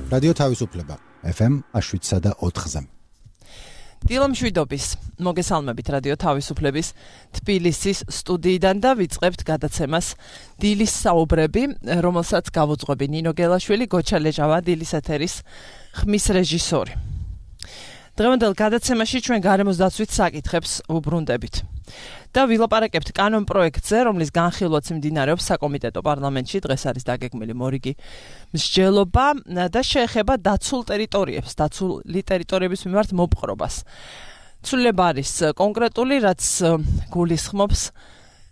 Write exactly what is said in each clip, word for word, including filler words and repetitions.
რადიო თავისუფლება ეფ ემ შვიდსა და ოთხზე. დილა მშვიდობის, მოგესალმებით რადიო თავისუფლების თბილისის სტუდიიდან და ვიწყებთ გადაცემას დილის საუბრები, რომელსაც გავუძღვები ნინო გელაშვილი, გოჩა ლეჟავა, დილის ეთერის ხმის რეჟისორი. დღევანდელ გადაცემაში ჩვენ გარემოს დაცვით საკითხებს ვუბრუნდებით. და ვილაპარაკებთ კანონ პროექტზე, რომლის განხილვაც მიმდინარეობს საკომიტეტო პარლამენტში. დღეს არის დაგეგმილი მორიგი მსჯელობა და შეეხება დაცულ ტერიტორიებს, დაცული ტერიტორიების მიმართ მოპყრობას. ცვლილება არის კონკრეტული, რაც გულისხმობს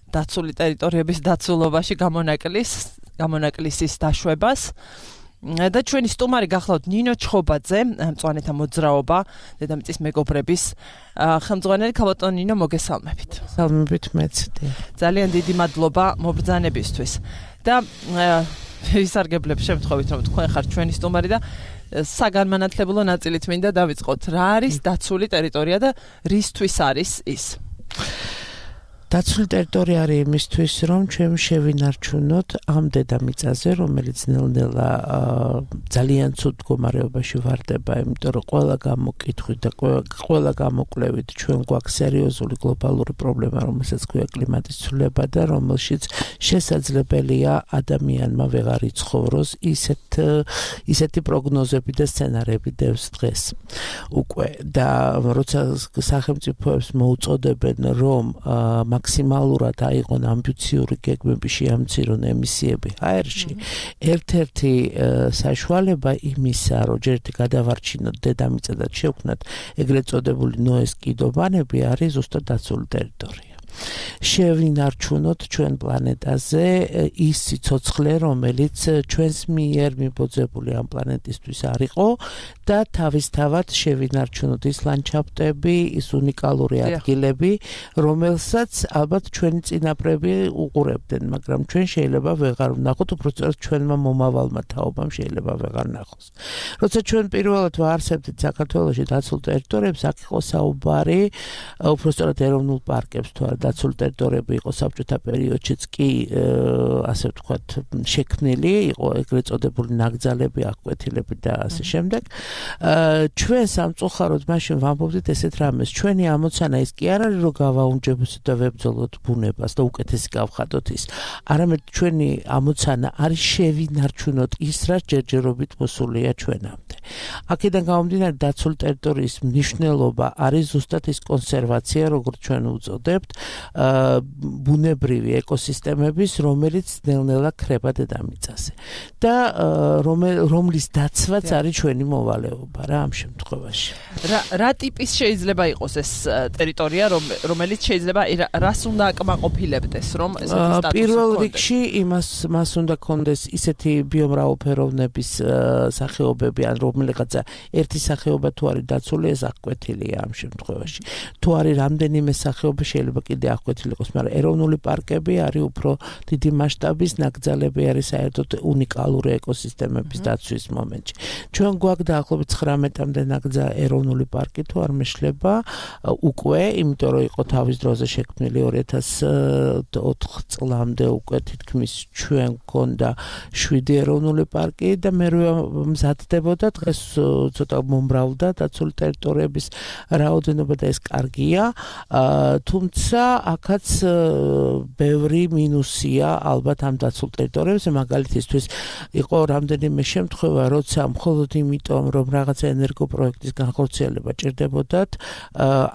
დაცული ტერიტორიების დაცულობაში გამონაკლის, გამონაკლისის დაშვებას. და ჩვენი სტუმარი გახლავთ ნინო ჩხობაძე, მწვანეთა მოძრაობა, დედამიწის მეგობრების ხელმძღვანელი. ქალბატონ ნინო, მოგესალმებით. სალმებით მეც. ძალიან დიდი მადლობა მობრძანებისთვის. და ვისარგებლებ შემთხვევით, რომ თქვენ ხართ ჩვენი სტუმარი და საგანმანათლებლო ნაწილით მინდა დავიწყოთ. რა არის დაცული ტერიტორია და რისთვის არის ის? დაცული ტერიტორია არის იმისთვის, რომ ჩვენ შევინარჩუნოთ ამ დედამიწაზე, რომელიც ნელ-ნელა ძალიან ცუდ მდგომარეობაში ვარდება, იმიტომ რომ ყველა გამოკითხვით და ყველა გამოკვლევით ჩვენ გვაქვს სერიოზული გლობალური პრობლემა, რომელსაც ქვია კლიმატის ცვლილება და რომელშიც შესაძლებელია ადამიანმა ვეღარ იცხოვროს. ისეთ ისეთი პროგნოზები და სცენარები დევს დღეს უკვე. და როცა სახელმწიფოებს მოუწოდებენ, რომ მაქსიმალურად აიღონ ამბიციური გეგმები, შეამცირონ ემისიები ჰაერში, ერთ-ერთი საშუალება იმისა, რომ ჯერ გადავარჩინოთ დედამიწა და შევქმნათ ეგრეთ წოდებული ნოეს კიდობანები, არის ზუსტად დაცული ტერიტორია. შევინარჩუნოთ ჩვენ პლანეტაზე ის სიცოცხლე, რომელიც ჩვენს მიერ მიბოძებული ამ პლანეტისთვის არ იყო და თავისთავად შევინარჩუნოთ ის ლანდშაფტები, ის უნიკალური ადგილები, რომელსაც ალბათ ჩვენი წინაპრები უყურებდნენ, მაგრამ ჩვენ შეიძლება ვეღარ ვნახოთ, უბრალოდ ჩვენმა მომავალმა თაობამ შეიძლება ვეღარ ნახოს. როცა ჩვენ პირველად ვაარსებდით საქართველოში დაცულ ტერიტორიებს, აქ იყო საუბარი უბრალოდ ეროვნულ პარკებს თუ არა დაცული ტერიტორიები იყო საბჭოთა პერიოდშიც კი ასე ვთქვათ შექმნილი, იყო ეგრეთ წოდებული ნაკრძალები, აღკვეთილები და ასე შემდეგ. ჩვენ სამწუხაროდ მაშინ ვამბობდით ესეთ რამეს, ჩვენი ამოცანა ის კი არ არის, რომ გავაუნჯებოთ და ვებრძოლოთ ბუნებას და უკეთესი გავხადოთ ის. არამედ ჩვენი ამოცანა არის შევინარჩუნოთ ის, რაც ჯერჯერობით მოსულია ჩვენამდე. აქედან გამომდინარე, დაცული ტერიტორიის მნიშვნელობა არის ზუსტად ის კონსერვაცია, როგორც ჩვენ უწოდებთ, ბუნებრივი ეკოსისტემების, რომელიც ნელ-ნელა ქრება დედამიწაზე. და რომლის დაცვაც არის ჩვენი მოვალეობა რა ამ შემთხვევაში. რა რა ტიპის შეიძლება იყოს ეს ტერიტორია, რომელიც შეიძლება რას უნდა აკმაყოფილებდეს, რომ ესეთი სტატუსი ჰქონდეს? პირველ რიგში იმას მას უნდა ჰქონდეს ისეთი ბიომრავალფეროვნების სახეობები, ან რომელიღაცა ერთი სახეობა თუ არის დაცული, ეს აღკვეთილია ამ შემთხვევაში. თუ არის რამდენიმე სახეობა, შეიძლება კიდე აღკვეთილი იყოს, მაგრამ ეროვნული პარკები არის უფრო დიდი მასშტაბის ნაკრძალები, არის საერთოდ უნიკალური ეკოსისტემების დაცვის მომენტში. ჩვენ გვაქვს დაახლოებით ცხრამეტამდე ნაკრძალი ეროვნული პარკი თუ არ მეშლება უკვე, იმიტომ რომ იყო თავის დროზე შექმნილი ორი ათას ოთხ წლამდე უკვე თითქმის ჩვენ გქონდა შვიდი ეროვნული პარკი და მე მზადდებოდა დღეს ცოტა მომრავლდა დაცული ტერიტორიების რაოდენობა და ეს კარგია, თუმცა აქაც ბევრი მინუსია ალბათ ამ დაცულ ტერიტორიებზე. მაგალითისთვის იყო რამდენიმე შემთხვევა, როცა მხოლოდ იმიტომ, რომ რაღაცა ენერგოპროექტის განხორციელება ჭირდებოდათ,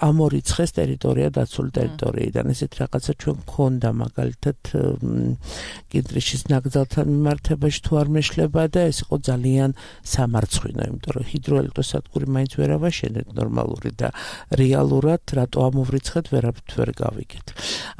ამორიცხეს ტერიტორია დაცული ტერიტორიიდან. ესეთ რაღაცა ჩვენ გქონდა მაგალითად კინტრიშის ნაკრძალთან მიმართებაში თუ არ მეშლება და ეს იყო ძალიან სამარცხვინო, იმიტომ რომ ჰიდროელექტროსადგური მაინც ვერ ავაშენეთ ნორმალური და რეალურად რატო ამოვრიცხეთ ვერაფრით ვერ გავიგეთ.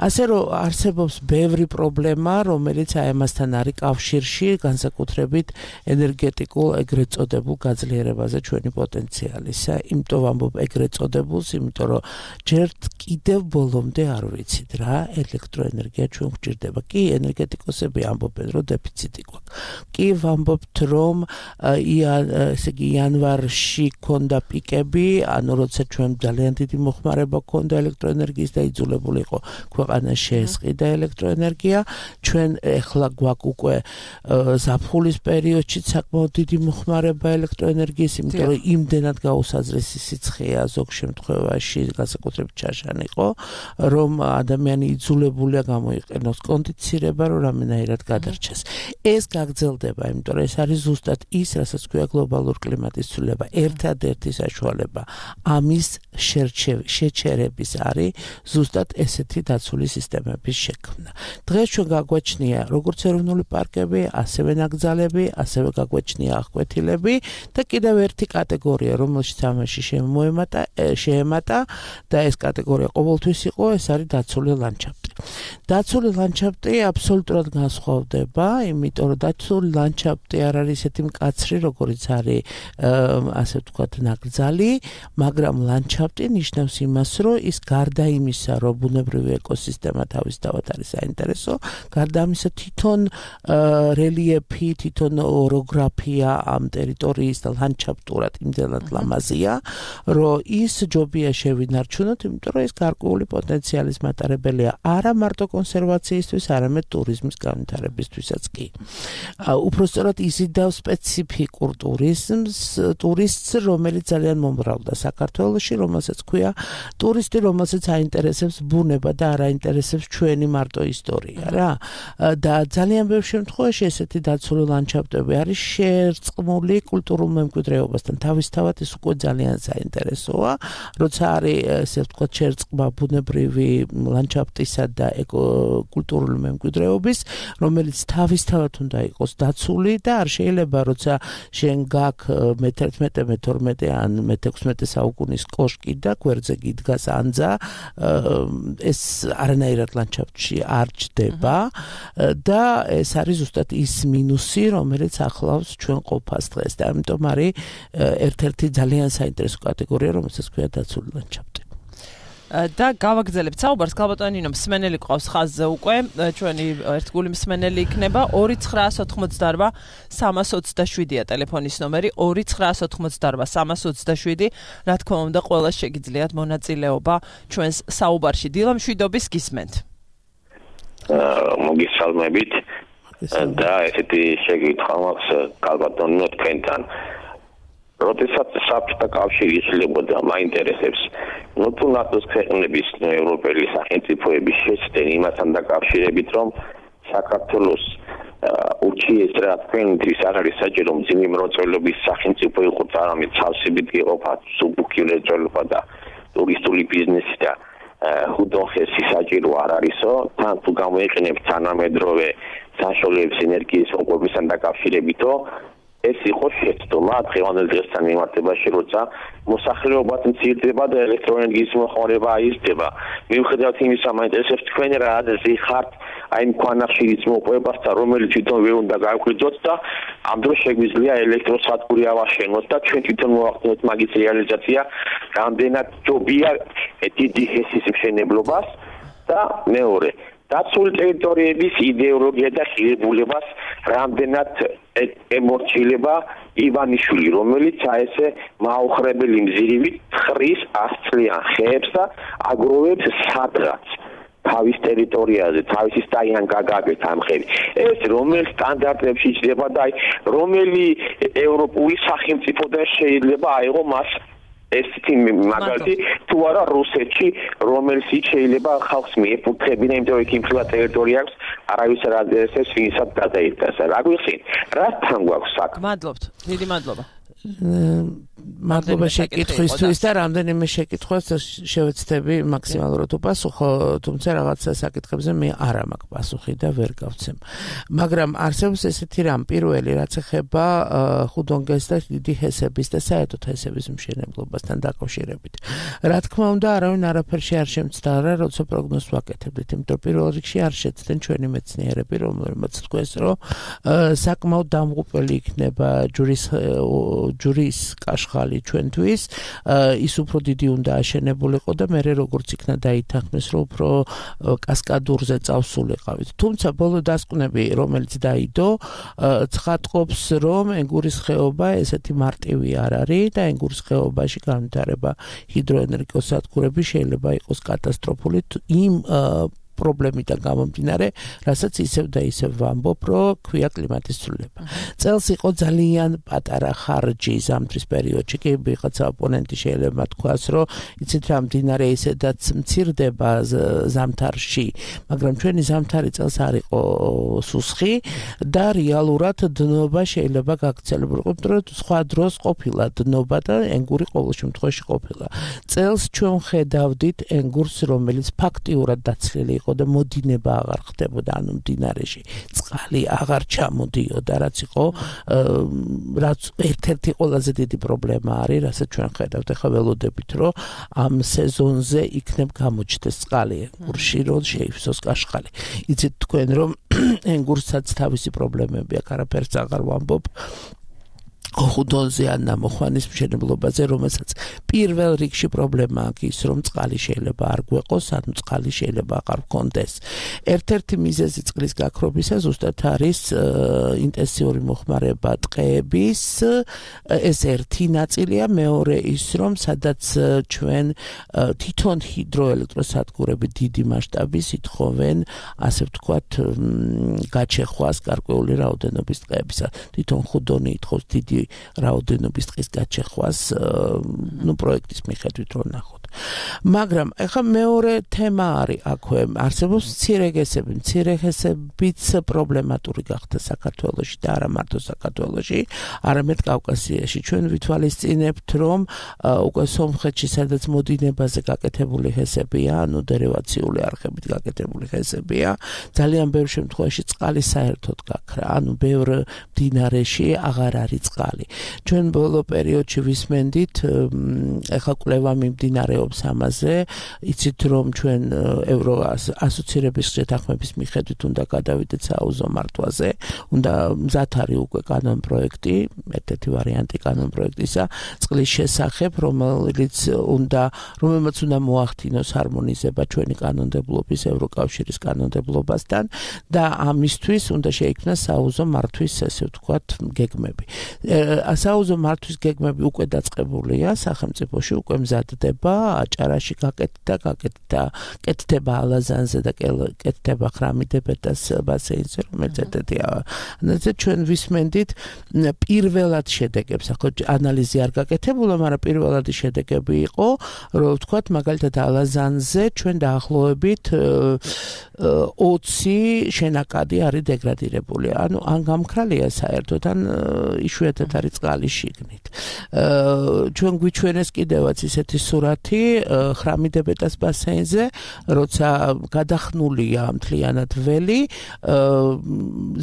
ასე რომ არსებობს ბევრი პრობლემა, რომელიც აი ამასთან არის კავშირში, განსაკუთრებით ენერგეტიკულ ეგრეთ წოდებულ გაძლიერებაზე ჩვენი პოტენციალისა. იმიტომ ვამბობ ეგრეთ წოდებულს, იმიტომ რომ ჯერ კიდევ ბოლომდე არ ვიცით რა ელექტროენერგია ჩვენ გვჭირდება. კი, ენერგეტიკოსები ამბობენ, რომ დეფიციტი გვაქვს. კი, ვამბობთ, რომ ესე იგი იანვარში ქონდა პიკები, ანუ როცა ჩვენ ძალიან დიდი მოხმარება ქონდა ელექტროენერგიის და იძულებული იყო ქვეყანა ქვეყანას შეესყიდა ელექტროენერგია. ჩვენ ეხლა გვაქვს უკვე ზაფხულის პერიოდში საკმაოდ დიდი მოხმარება ელექტროენერგიის, იმიტომ რომ იმდენად გაუსაზრესი სიცხეა ზოგ შემთხვევაში, განსაკუთრებით ჩაშან იყო, რომ ადამიანი იძულებულია გამოიყენოს კონდიცირება, რომ რამენაირად გადარჩეს. ეს გაგრძელდება, იმიტომ რომ ეს არის ზუსტად ის, რასაც ქვია გლობალური კლიმატის ცვლილება. ერთადერთი საშუალება ამის შეჩერების არის ზუსტად ესეთი დაცული სისტემების შექმნა. დღეს ჩვენ გაგვაჩნია როგორც ეროვნული პარკები, ასევე ნაკრძალები, ასევე გაგვაჩნია აღკვეთილები და კიდევ ერთი კატეგორია, რომელშიც ამაში შემოემატა, შეემატა და ეს კატეგორია ყოველთვის იყო, ეს არის დაცული ლანდშაფტი. დაცული ლანდშაფტი აბსოლუტურად განსხვავდება, იმიტომ რომ დაცული ლანდშაფტი არ არის ესეთი მკაცრი, როგორც არის ასე ვთქვათ ნაკრძალი, მაგრამ ლანდშაფტი ნიშნავს იმას, რომ ის გარდა იმისა, რომ ბუნებრივი ეკოსისტემა თავისთავად არის საინტერესო, გარდა ამისა თვითონ რელიეფი, თვითონ ოროგრაფია ამ ტერიტორიის და ლანდშაფტურად იმდენად ლამაზია, რომ ის ჯობია შევინარჩუნოთ, იმიტომ რომ ეს გარკვეული პოტენციალის მატარებელია არა მარტო კონსერვაციისთვის, არამედ ტურიზმის განვითარებისთვისაც კი. უпростоრად იზიდავს სპეციფიკურ ტურიზმს, ტურისტს, რომელიც ძალიან მომრავლდა საქართველოში, რომელსაც ქვია ტურისტი, რომელსაც აინტერესებს ბუნება და არ აინტერესებს ჩვენი მარტო ისტორია, რა. და ძალიან ბევრ შემთხვევაში ესეთი დაცული ლანდშაფტები არის შერწყმული კულტურულ მემკვიდრეობასთან. თავისთავად ეს უკვე ძალიან საინტერესოა, როცა არის ესე ვთქვათ შერწყმა ბუნებრივი ლანდშაფტისა და კულტურული მემკვიდრეობის, რომელიც თავისთავად უნდა იყოს დაცული და არ შეიძლება როცა შენ გაქვს მეთერთმეტე, მეთორმეტე ან მეთექვსმეტე საუკუნის კოშკი და გვერდზე გიდგას ანძა, ეს არანაირად ლანდშაფტში არ ჩდება და ეს არის ზუსტად ის მინუსი, რომელიც ახლავს ჩვენ ყოფას დღეს და ამიტომ არის ერთ-ერთი ძალიან საინტერესო კატეგორია, რომელსაც ქვია დაცული ლანდშაფტი. და გავაგრძელებთ საუბარს, ქალბატონინო მსმენელი ყავს ხაზზე უკვე, ჩვენი ერთგული მსმენელი იქნება ორი ცხრაას ოთხმოცდაორვა სამას ოცდაშვიდია ტელეფონის ნომერი ორი ცხრაას ოთხმოცდაორვა სამას ოცდაშვიდი. რა თქმა უნდა, ყველას შეგიძლიათ მონაწილეობა ჩვენს საუბარში. დილა მშვიდობის გისმენთ. მოგესალმებით და ესეთი შეკითხვა მაქვს ქალბატონინო თქვენთან. როდესაც საბჭოთა კავშირი იშლებოდა, მაინტერესებს ნუ თუ ნატოს ქვეყნების ევროპელი სახელმწიფოების შეცდენ იმასთან დაკავშირებით, რომ საქართველოს ურჩიესრა თქვენთვის არ არის საჭირო მძიმე მროწველობის სახელმწიფო იყო და არამედ ცალსებით იყოფა სუბუქი მროწელობა და ტურისტული ბიზნესი და ხუდონხესი საჭირო არ არისო, თან თუ გამოიყენებთ თანამედროვე საშუალებებს ენერგიის მოყვებისთან დაკავშირებითო ეს იყო შეცდომა დღევანდელ დღესთან მიმართებაში, როცა მოსახლეობაც მცირდება და ელექტროენერგიის მოხმარება აიზრდება. მიუხედავად იმისა, მაინტერესებს თქვენ რა აზრი ხართ აი ამ ქვანახშირის მოყვებასთან, რომელიც თვითონ ვერ უნდა გავკვირდოთ და ამ დროს შეგვიძლია ელექტროსადგური ავაშენოთ და ჩვენ თვითონ მოვახდინოთ მაგის რეალიზაცია, რამდენად ჯობია დიდი ჰესის მშენებლობას და მეორე დაცული ტერიტორიების იდეოლოგია და ღირებულებას რამდენად ემორჩილება ივანიშვილი, რომელიც აესე მაუხრებელი მზირივით ხრის ასწლიან ხეებს და აგროვებს სადღაც თავის ტერიტორიაზე, თავისი სტაიან გაგაგეთ ამ ხები. ეს რომელ სტანდარტებში იჭდება და აი რომელი ევროპული სახელმწიფოდან შეიძლება აიღო მას ესეთი მაგალითი თუ არა რუსეთში, რომელშიც შეიძლება ხალხს მიეფუძებინა, იმიტომ რომ იქ იმხილა ტერიტორია აქვს, არავის არ აძლევს ვინსაც გადაიტანს. რა გვიხსენ? რასთან გვაქვს საქმე? მადლობთ. დიდი მადლობა. მადლობა შეკითხვისთვის და რამდენიმე შეკითხვას შევეცდები მაქსიმალურად უპასუხო, თუმცა რაღაცა საკითხებზე მე არ მაქვს პასუხი და ვერ გავცემ. მაგრამ არსებობს ესეთი რამ, პირველი რაც ეხება ხუდონგეს და დიდი ჰესების და საერთოდ ჰესების მშენებლობასთან დაკავშირებით. რა თქმა უნდა, არავინ არაფერში არ შემცდარა, როცა პროგნოზს ვაკეთებდით, იმიტომ რომ პირველ რიგში არ შეცდნენ ჩვენი მეცნიერები, რომელმაც თქვეს, რომ საკმაოდ დამღუპელი იქნება ჯურის ჯურის კაშხალი ჩვენთვის, ის უფრო დიდი უნდა აშენებულიყო და მერე როგორც იქნა დაითანხმეს, რომ უფრო კასკადურზე წავსულიყავით. თუმცა ბოლო დასკვნები, რომელიც დაიდო, ცხადყოფს, რომ ენგურის ხეობა ესეთი მარტივი არ არის და ენგურის ხეობაში განვითარება ჰიდროენერგიოსადგურები შეიძლება იყოს კატასტროფული იმ პრობლემიდან გამომდინარე, რასაც ისევ და ისევ ვამბობ, რომ ქვია კლიმატის ცვლილება. წელს იყო ძალიან პატარა ხარჯი ზამთრის პერიოდში, კი ვიღაცა ოპონენტი შეიძლება თქვას, რომ იცით რა მდინარე ისედაც მცირდება ზამთარში, მაგრამ ჩვენი ზამთარი წელს არ იყო სუსხი და რეალურად დნობა შეიძლება გაგრძელებულიყო, რომ სხვა დროს ყოფილა დნობა და ენგური ყოველ შემთხვევაში ყოფილა. წელს ჩვენ ხედავდით ენგურს, რომელიც ფაქტიურად დაცლილი იყო და მოდინება აღარ ხდებოდა, ანუ მდინარეში წყალი აღარ ჩამოდიოდა, რაც იყო რაც ერთ-ერთი ყველაზე დიდი პრობლემა არის, რასაც ჩვენ ხედავთ. ახლა ველოდებით, რომ ამ სეზონზე იქნებ გამოჩნდეს წყალი ენგურში, რომ შეივსოს კაშხალი. იცით თქვენ, რომ ენგურსაც თავისი პრობლემები აქვს, არაფერს აღარ ვამბობ. ხუდონზე ან ნამოხვანის მშენებლობაზე, რომელსაც პირველ რიგში პრობლემა აქვს ის, რომ წყალი შეიძლება არ გვეყოს, ანუ წყალი შეიძლება აღარ გქონდეს. ერთ-ერთი მიზეზი წყლის გაქრობისა ზუსტად არის ინტენსიური მოხმარება ტყეების, ეს ერთი ნაწილია, მეორე ის, რომ სადაც ჩვენ თვითონ ჰიდროელექტროსადგურები დიდი მასშტაბის ითხოვენ, ასე ვთქვათ, გაჩეხვას გარკვეული რაოდენობის ტყეებისა. თვითონ ხუდონი ითხოვს დიდი რაოდენობის ტყის გაჩეხვას, ნუ პროექტის მიხედვით რომ ნახოთ. მაგრამ ახლა მეორე თემა არის აქვე, არსებობს მცირეგესები, მცირეგესებიც პრობლემატური გახდა საქართველოში და არა მარტო საქართველოში, არამედ კავკასიაში. ჩვენ ვითვალისწინებთ, რომ უკვე სომხეთში, სადაც მოდინებაზე გაკეთებული ჰესებია, ანუ დერივაციული არხებით გაკეთებული ჰესებია, ძალიან ბევრ შემთხვევაში წყალი საერთოდ გაქრა, ანუ ბევრ მდინარეში აღარ არის წყალი. ჩვენ ბოლო პერიოდში ვისმენდით, ახლა კვლევა მიმდინარეობს ამაზე, იცით რომ ჩვენ ევრო ასოცირების შეთანხმების მიხედვით უნდა გადავიდეთ საუზო მართვაზე, უნდა მზად არის უკვე კანონ პროექტი, ერთ-ერთი ვარიანტი კანონ პროექტისა, წყლის შესახებ, რომელიც უნდა, რომელმაც უნდა მოახდინოს ჰარმონიზება ჩვენი კანონმდებლობის ევროკავშირის კანონმდებლობასთან და ამისთვის უნდა შეიქმნას საუზო მართვის, ესე ვთქვათ, გეგმები. საუზო მართვის გეგმები უკვე დაწყებულია სახელმწიფოში, უკვე მზადდება, აჭარაში გაკეთდა, გაკეთდა, კეთდება ალაზანზე და კეთდება ხრამიდებედას ბასეინზე, რომელიც ერთ-ერთია. ანუ ჩვენ ვისმენდით პირველად შედეგებს, ახლა ანალიზი არ გაკეთებულა, მაგრამ პირველადი შედეგები იყო, რომ ვთქვათ, მაგალითად ალაზანზე ჩვენ დაახლოებით ოცი შენაკადი არის დეგრადირებული. ანუ ან გამქრალია საერთოდ, ან იშვიათად არის წყალი შიგნით. ჩვენ გვიჩვენეს კიდევაც ისეთი სურათი ხრამიდებედას ბასეინზე, როცა გადახნულია მთლიანად ველი,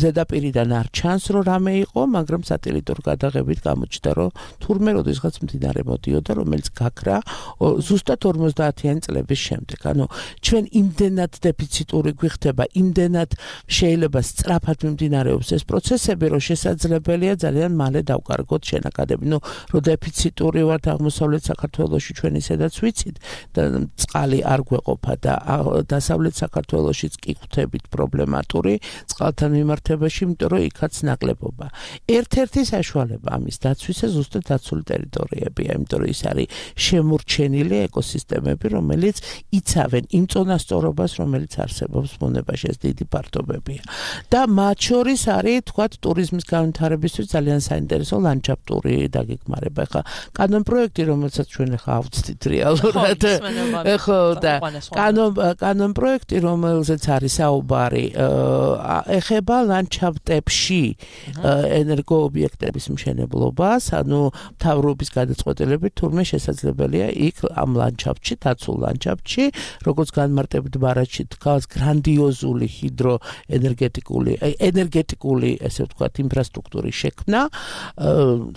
ზედაპირიდან არ ჩანს, რომ რამე იყო, მაგრამ სატელიტურ გადაღებით გამოჩნდა, რომ თურმე როდესღაც მდინარე მოდიოდა, რომელიც გაქრა ზუსტად ორმოცდაათიანი წლების შემდეგ. ანუ ჩვენ იმდენად დეფიციტური გვიხდება, იმდენად შეიძლება სწრაფად მიმდინარეობს ეს პროცესები, რომ შესაძლებელია ძალიან მალე დავკარგოთ შენაკადები. ნუ რომ დეფიციტური ვართ აღმოსავლეთ საქართველოში ჩვენ ისედაც ვიცით და წყალი არ გვეყოფა და დასავლეთ საქართველოშიც კი ხვდებით პრობლემატური წყალთან მიმართებაში, იმიტომ რომ იქაც ნაკლებობა. ერთ-ერთი საშუალება ამის დაცვისა ზუსტად დაცული ტერიტორიებია, იმიტომ რომ ის არის შემორჩენილი ეკოსისტემები, რომელიც იცავენ იმ წონასწორობას, რომელიც არსებობს მონებაში, ეს დიდი ფართობებია. და მათ შორის არის, თქვათ, ტურიზმის განვითარებისთვის ძალიან საინტერესო ლანდშაფტური დაგეგმარება. ხა კანონ პროექტი, რომელსაც ჩვენ ხა ავწდით რეალურად. ხო, და კანონ კანონ პროექტი, რომელზეც არის საუბარი, ეხება ლანდშაფტებში ენერგოობიექტების მშენებლობას, ანუ მთავრობის გადაწყვეტილებით თურმე შესაძლებელია იქ ამ ლანდშაფტში, დაცულ ლანდშაფტში, როგორც განმარტებით ბარათში დგას გრანდიოზული ჰიდროენერგეტიკული ენერგეტიკული, ესე ვთქვათ, ინფრასტრუქტურის შექმნა,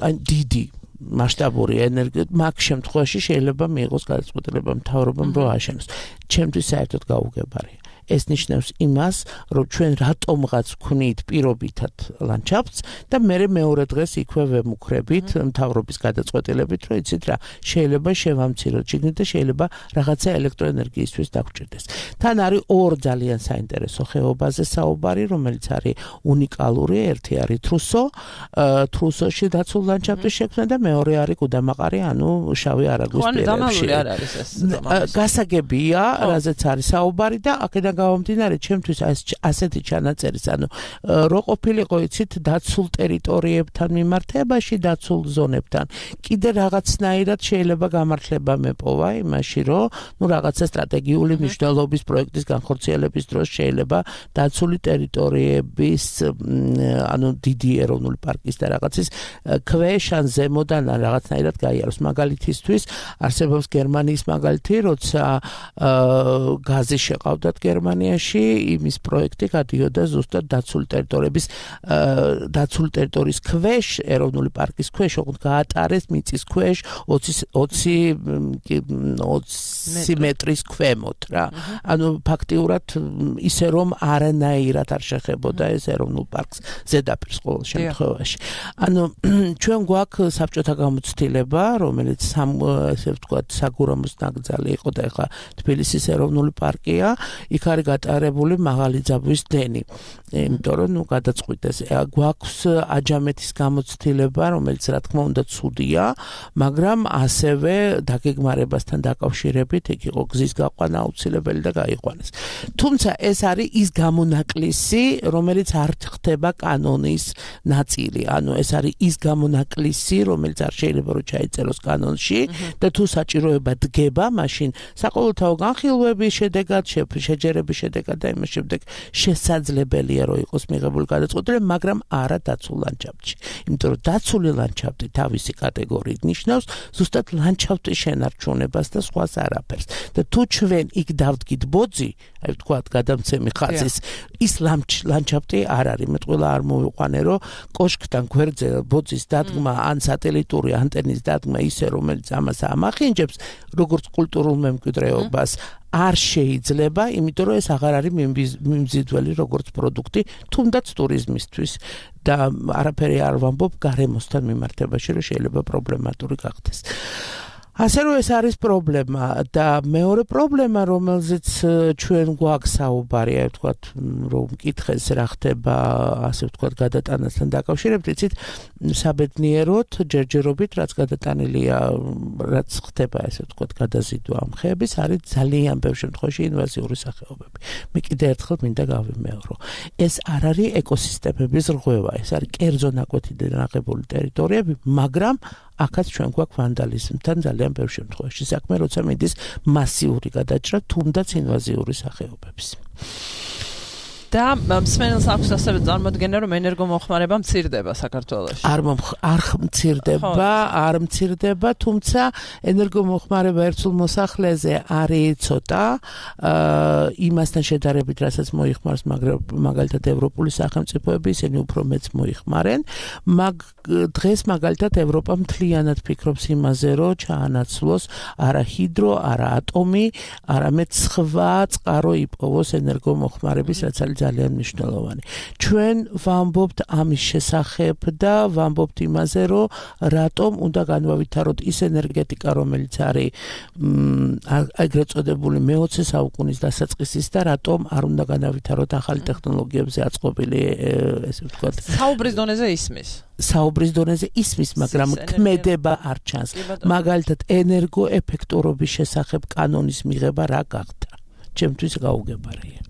ან დიდი მასშტაბური ენერგია, მაგ შემთხვევაში შეიძლება მიიღოს გადაწყვეტილება მთავრობამ, რომ აშენოს. ჩემთვის საერთოდ გაუგებარია. ეს ნიშნავს იმას, რომ ჩვენ რატომღაც ვქნით პირობითად ლანდშაფტს და მე მეორე დღეს იქვე ვემუქრებით მთავრობის გადაწყვეტილებით, რომ იცით რა, შეიძლება შევამციროთ შიგნით და შეიძლება რაღაცა ელექტროენერგიისთვის დაგვჭირდეს. თან არის ორ ძალიან საინტერესო ხეობაზე საუბარი, რომელიც არის უნიკალური, ერთი არის თრუსო, თრუსოში დაცულ ლანდშაფტის შექმნა და მეორე არის გუდამაყარი, ანუ შავი არაგვის პირებში. ანუ დამალული არ არის ეს. გასაგებია, რაზეც არის საუბარი და აქედან გამომდინარე, ჩემთვის ასეთი ჩანაწერის, ანუ რო ყოფილიყო იცით დაცულ ტერიტორიებთან მიმართებაში, დაცულ ზონებთან. კიდე რაღაცნაირად შეიძლება გამართლება მეპოვა იმაში, რომ ნუ რაღაცა სტრატეგიული მნიშვნელობის პროექტის განხორციელების დროს შეიძლება დაცული ტერიტორიების, ანუ დიდი ეროვნული პარკის და რაღაცის ქვეშ ან ზემოდან რაღაცნაირად გაიაროს. მაგალითისთვის არსებობს გერმანიის მაგალითი, როცა გაზი შეყავდათ გერმანიაში, იმის პროექტი გადიოდა ზუსტად დაცული ტერიტორიების დაცული ტერიტორიის ქვეშ, ეროვნული პარკის ქვეშ, ოღონდ გაატარეს მიწის ქვეშ ოცი მეტრის ქვემოთ რა. ანუ ფაქტიურად ისე რომ არანაირად არ შეხებოდა ეს ეროვნულ პარკს ზედაპირს ყოველ შემთხვევაში. ანუ ჩვენ გვაქვს საბჭოთა გამოცდილება, რომელიც ესე ვთქვათ საგურამოს ნაკრძალი იყო და ეხლა თბილისის ეროვნული პარკია, იქ არის გატარებული მაღალი ძაბვის დენი. იმიტომ რომ ნუ გადაწყვიტეს. გვაქვს აჯამეთის გამოცდილება, რომელიც რა თქმა უნდა ცუდია, მაგრამ ასევე დაგეგმარებასთან დაკავშირებით იქ იყო გზის გაყვანა აუცილებელი და გაიყვანეს. თუმცა ეს არის ის გამონაკლისი, რომელიც არ ხდება კანონის ნაწილი. ანუ ეს არის ის გამონაკლისი, რომელიც არ შეიძლება რომ ჩაიწეროს კანონში და თუ საჭიროება დგება, მაშინ საყოველთაო განხილვების შედეგად, შეჯერების შედეგად და იმის შემდეგ შესაძლებელია რომ იყოს მიღებული გადაწყვეტილება, მაგრამ არა დაცულ ლანდშაფტში. იმიტომ რომ დაცული ლანდშაფტი თავისი კატეგორიით ნიშნავს ზუსტად ლანდშაფტის შენარჩუნებას და სხვას არაფერს. და თუ ჩვენ იქ დავდგით ბოძი, აი ვთქვათ, გადამცემი ხაზის, ის ლანდშაფტი არ არის. მე ყველა არ მოვიყვანე, რომ კოშკთან გვერდზე ბოძის დადგმა ან სატელიტური ანტენის დადგმა ისე, რომელიც ამას ამახინჯებს, როგორც კულტურულ მემკვიდრეობას, არ შეიძლება, იმიტომ რომ ეს აღარ არის მიმზიდველი როგორც პროდუქტი, თუნდაც ტურიზმისთვის და არაფერი არ ვამბობ გარემოსთან მიმართებაში, რომ შეიძლება პრობლემატური გახდეს. ასე რომ ეს არის პრობლემა და მეორე პრობლემა, რომელზეც ჩვენ გვაქვს საუბარი, აი ვთქვათ, რომ მკითხეს რა ხდება, ასე ვთქვათ, გადატანასთან დაკავშირებით, იცით, საბედნიეროდ ჯერჯერობით, რაც გადატანილია, რაც ხდება, ასე ვთქვათ, გადაზიდვა ამ ხეების, არის ძალიან ბევრ შემთხვევაში ინვაზიური სახეობები. მე კიდე ერთხელ მინდა გავიმეორო. ეს არ არის ეკოსისტემების რღვევა, ეს არის კერძო ნაკვეთიდან აღებული ტერიტორიები, მაგრამ აქაც ჩვენ გვაქვს ვანდალიზმთან ძალიან ბევრ შემთხვევაში საქმე, როცა მიდის მასიური გადაჭრა, თუნდაც ინვაზიური სახეობების. და მსმენელს აქვს ასევე წარმოდგენა, რომ ენერგომოხმარება მცირდება საქართველოში. არ არ მცირდება, არ მცირდება, თუმცა ენერგომოხმარება ერთსულ მოსახლეზე არის ცოტა, იმასთან შედარებით, რასაც მოიხმარს მაგალითად ევროპული სახელმწიფოები, ისინი უფრო მეც მოიხმარენ. მაგ დღეს მაგალითად ევროპა მთლიანად ფიქრობს იმაზე, რომ ჩაანაცვლოს არა ჰიდრო, არა ატომი, არამედ სხვა წყარო იპოვოს ენერგომოხმარების, რაც არის ძალიან მნიშვნელოვანი. ჩვენ ვამბობთ ამის შესახებ და ვამბობთ იმაზე, რომ რატომ უნდა განვავითაროთ ის ენერგეტიკა, რომელიც არის ეგრეთ წოდებული მეოცე საუკუნის დასაწყისის და რატომ არ უნდა განავითაროთ ახალი ტექნოლოგიებზე აწყობილი, ესე ვთქვათ, საუბრის დონეზე ისმის. საუბრის დონეზე ისმის, მაგრამ ქმედება არ ჩანს. მაგალითად, ენერგოეფექტურობის შესახებ კანონის მიღება რა გახდა? ჩემთვის გაუგებარია.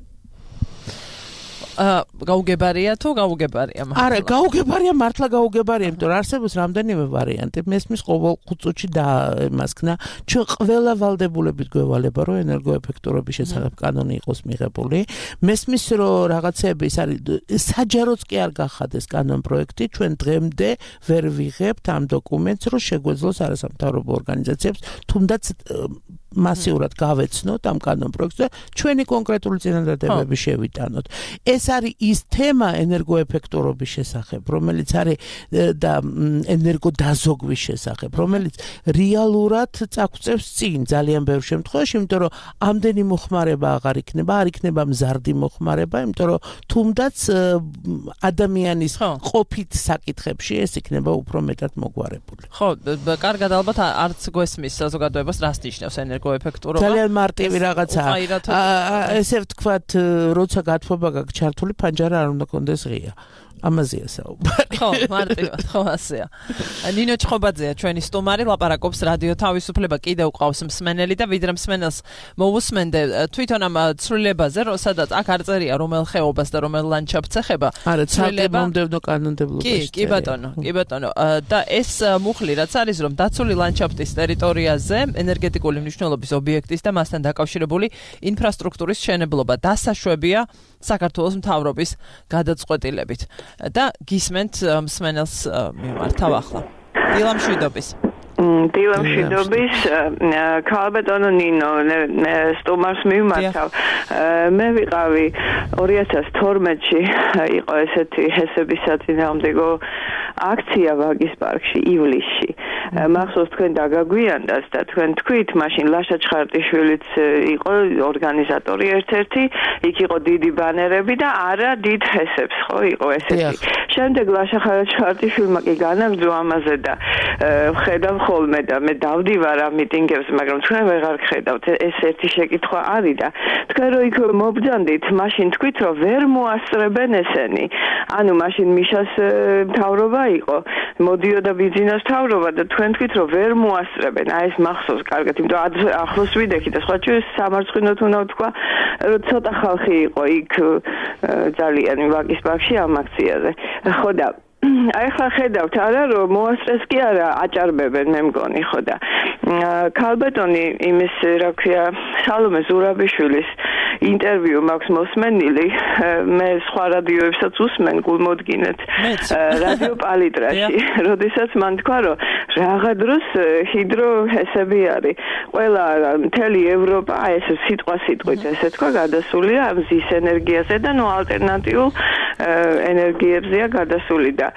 გაუგებარია თუ გაუგებარია? არა, გაუგებარია, მართლა გაუგებარია, იმიტომ რომ არსებობს რამდენიმე ვარიანტი. მესმის ყოველ ხუთ წუთში და იმასქნა, ჩვენ ყველა ვალდებულებით გვევალება, რომ ენერგოეფექტურობის შესახებ კანონი იყოს მიღებული. მესმის, რომ რაღაცები ის არის, საჯაროც კი არ გახადეს კანონ პროექტი, ჩვენ დღემდე ვერ ვიღებთ ამ დოკუმენტს, რომ შეგვეძლოს არასამთავრობო ორგანიზაციებს თუნდაც მასიურად გავეცნოთ ამ კანონ პროექტს და ჩვენი კონკრეტული წინადადებები შევიტანოთ. ეს არის ის თემა ენერგოეფექტურობის შესახებ, რომელიც არის და ენერგოდაზოგვის შესახებ, რომელიც რეალურად წაგვწევს წინ ძალიან ბევრ შემთხვევაში, იმიტომ რომ ამდენი მოხმარება აღარ იქნება, არ იქნება მზარდი მოხმარება, იმიტომ რომ თუნდაც ადამიანის ყოფით საკითხებში ეს იქნება უფრო მეტად მოგვარებული. ხო, კარგად, ალბათ არც გვესმის საზოგადოებას რას ნიშნავს ენერგოეფექტურობა. ძალიან მარტივი რაღაცაა. ესე ვთქვათ, როცა გათბობა გაქვს ჩართული, ჯერ არ უნდა კონდეს ღია. ამაზეა საუბარი. ხო, მარტივად, ხო ასეა. ნინო ჩხობაძეა ჩვენი სტუმარი, ლაპარაკობს რადიო თავისუფლება, კიდევ ყავს მსმენელი და ვიდრე მსმენელს მოусმენდე თვითონ ამ ცვლილებაზე, სადაც აქ არ წერია რომელ ხეობას და რომელ ლანდშაფტს ეხება. არა, ცალკე მომდევნო კანონმდებლობაში. კი, კი ბატონო, კი ბატონო. და ეს მუხლი რაც არის, რომ დაცული ლანდშაფტის ტერიტორიაზე ენერგეტიკული მნიშვნელობის ობიექტის და მასთან დაკავშირებული ინფრასტრუქტურის მშენებლობა დასაშვებია საქართველოს მთავრობის გადაწყვეტილებით. და გისმენთ მსმენელს მიმართავ ახლა. დილა მშვიდობის. დილა მშვიდობის, ქალბატონო ნინო, სტუმარს მიმართავ. მე ვიყავი ორი ათას თორმეტში იყო ესეთი ჰესების საწინააღმდეგო აქცია ვაგის პარკში ივლისში. მახსოვს თქვენ დაგაგვიანდას და თქვენ თქვით, მაშინ ლაშა ჩხარტიშვილიც იყო ორგანიზატორი ერთ-ერთი, იქ იყო დიდი ბანერები და არა დიდ ჰესებს, ხო, იყო ესეთი. შემდეგ ლაშა ჩხარტიშვილმა კი განაგრძო ამაზე და ხედავ ხოლმე და მე დავდივარ ამ მიტინგებს, მაგრამ თქვენ ვეღარ ხედავთ. ეს ერთი შეკითხვა არის და თქვენ რო იქ მობძანდით, მაშინ თქვით, რომ ვერ მოასწრებენ ესენი. ანუ მაშინ მიშას მთავრობა იყო, მოდიოდა ბიზნეს მთავრობა და თქვენ თქვით, რომ ვერ მოასწრებენ. აი ეს მახსოვს კარგად, იმიტომ ახლოს ვიდექი და სხვა ჩვენ სამარცხინოთ უნდა ვთქვა, რომ ცოტა ხალხი იყო იქ ძალიან ვაგის პარკში ამ აქციაზე. ხო და აი ხა ხედავთ არა რომ მოასწრეს კი არა აჭარბებენ მე მგონი ხო და ქალბატონი იმის რა ქვია სალომე ზურაბიშვილის ინტერვიუ მაქვს მოსმენილი მე სხვა რადიოებსაც usmen გულმოდგინეთ რადიო პალიტრაში როდესაც მან თქვა რომ რაღა დროს ჰიდროჰესები არის ყველა მთელი ევროპა ეს სიტყვა სიტყვით ესე თქვა გადასულია ამ ზის ენერგიაზე და ნუ ალტერნატიულ ენერგიებზეა გადასული და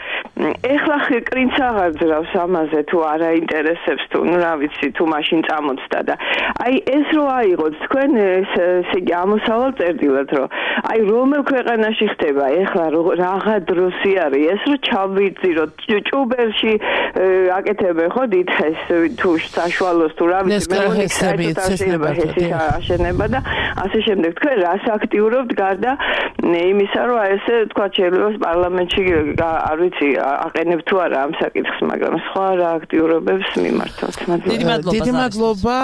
ეხლა კრინც აღარ ძრავს ამაზე თუ არ აინტერესებს თუ ნუ რა ვიცი თუ მაშინ წამოწდა და აი ეს რო აიღოთ თქვენ ესე იგი ამოსავალ წერდილად რომ აი რომელ ქვეყანაში ხდება ეხლა რაღა დროსი არის ეს რო ჩავიწირო ჭუბერში აკეთებენ ხო დიდხეს თუ საშუალოს თუ რა ვიცი მე მოგიხსენებთ აშენება და ასე შემდეგ თქვენ რას აქტიურობთ გარდა იმისა რომ ესე თქვა შეიძლება პარლამენტში არ ვიცი აყენებ თუ არა ამ საკითხს მაგრამ სხვა რა აქტიურობებს მიმართოთ დიდი მადლობა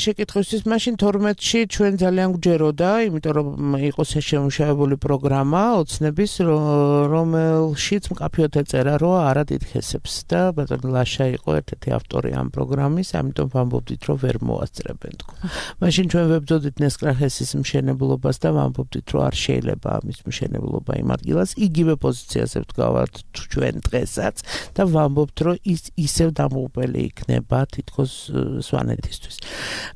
შეკითხვისთვის მაშინ თორმეტში ჩვენ ძალიან გვჯეროდა იმიტომ რომ იყო შეშემუშავებული პროგრამა ოცნების რომელშიც მკაფიოდ ეწერა რომ არა დიდხესებს და ბატონი ლაშა იყო ერთ-ერთი ავტორი ამ პროგრამის ამიტომ ვამბობდით რომ ვერ მოასწრებენ თქო მაშინ ჩვენ ვებრძოდით ნესკრახესის მშენებლობას და ვამბობდით რომ არ შეიძლება ამის მშენებლობა იმ ადგილას იგივე პოზიციაზე ვდგავართ ჩვენ დღესაც და ვამბობთ რომ ის ისევ დამოუკებელი იქნება თითქოს სვანეთისთვის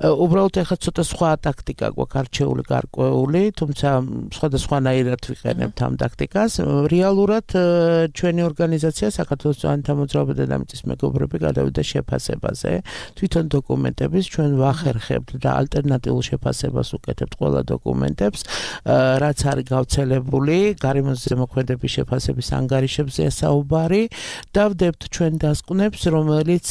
უბრალოდ ახლა ცოტა სხვა ტაქტიკა გვაქვს არჩეული გარკვეული თუმცა სხვადასხვანაირად ვიყენებთ ამ ტაქტიკას რეალურად ჩვენი ორგანიზაცია საქართველოს წვანთა მოძრაობა დედამიწის მეგობრები გადავიდა შეფასებაზე თვითონ დოკუმენტების ჩვენ ვახერხებთ და ალტერნატიულ შეფასებას უკეთებთ ყველა დოკუმენტებს რაც არის გავრცელებული გარემოს ზემოქმედების შეფასების ანგარიშებზე საუბარი დავდებთ ჩვენ დასკვნებს რომელიც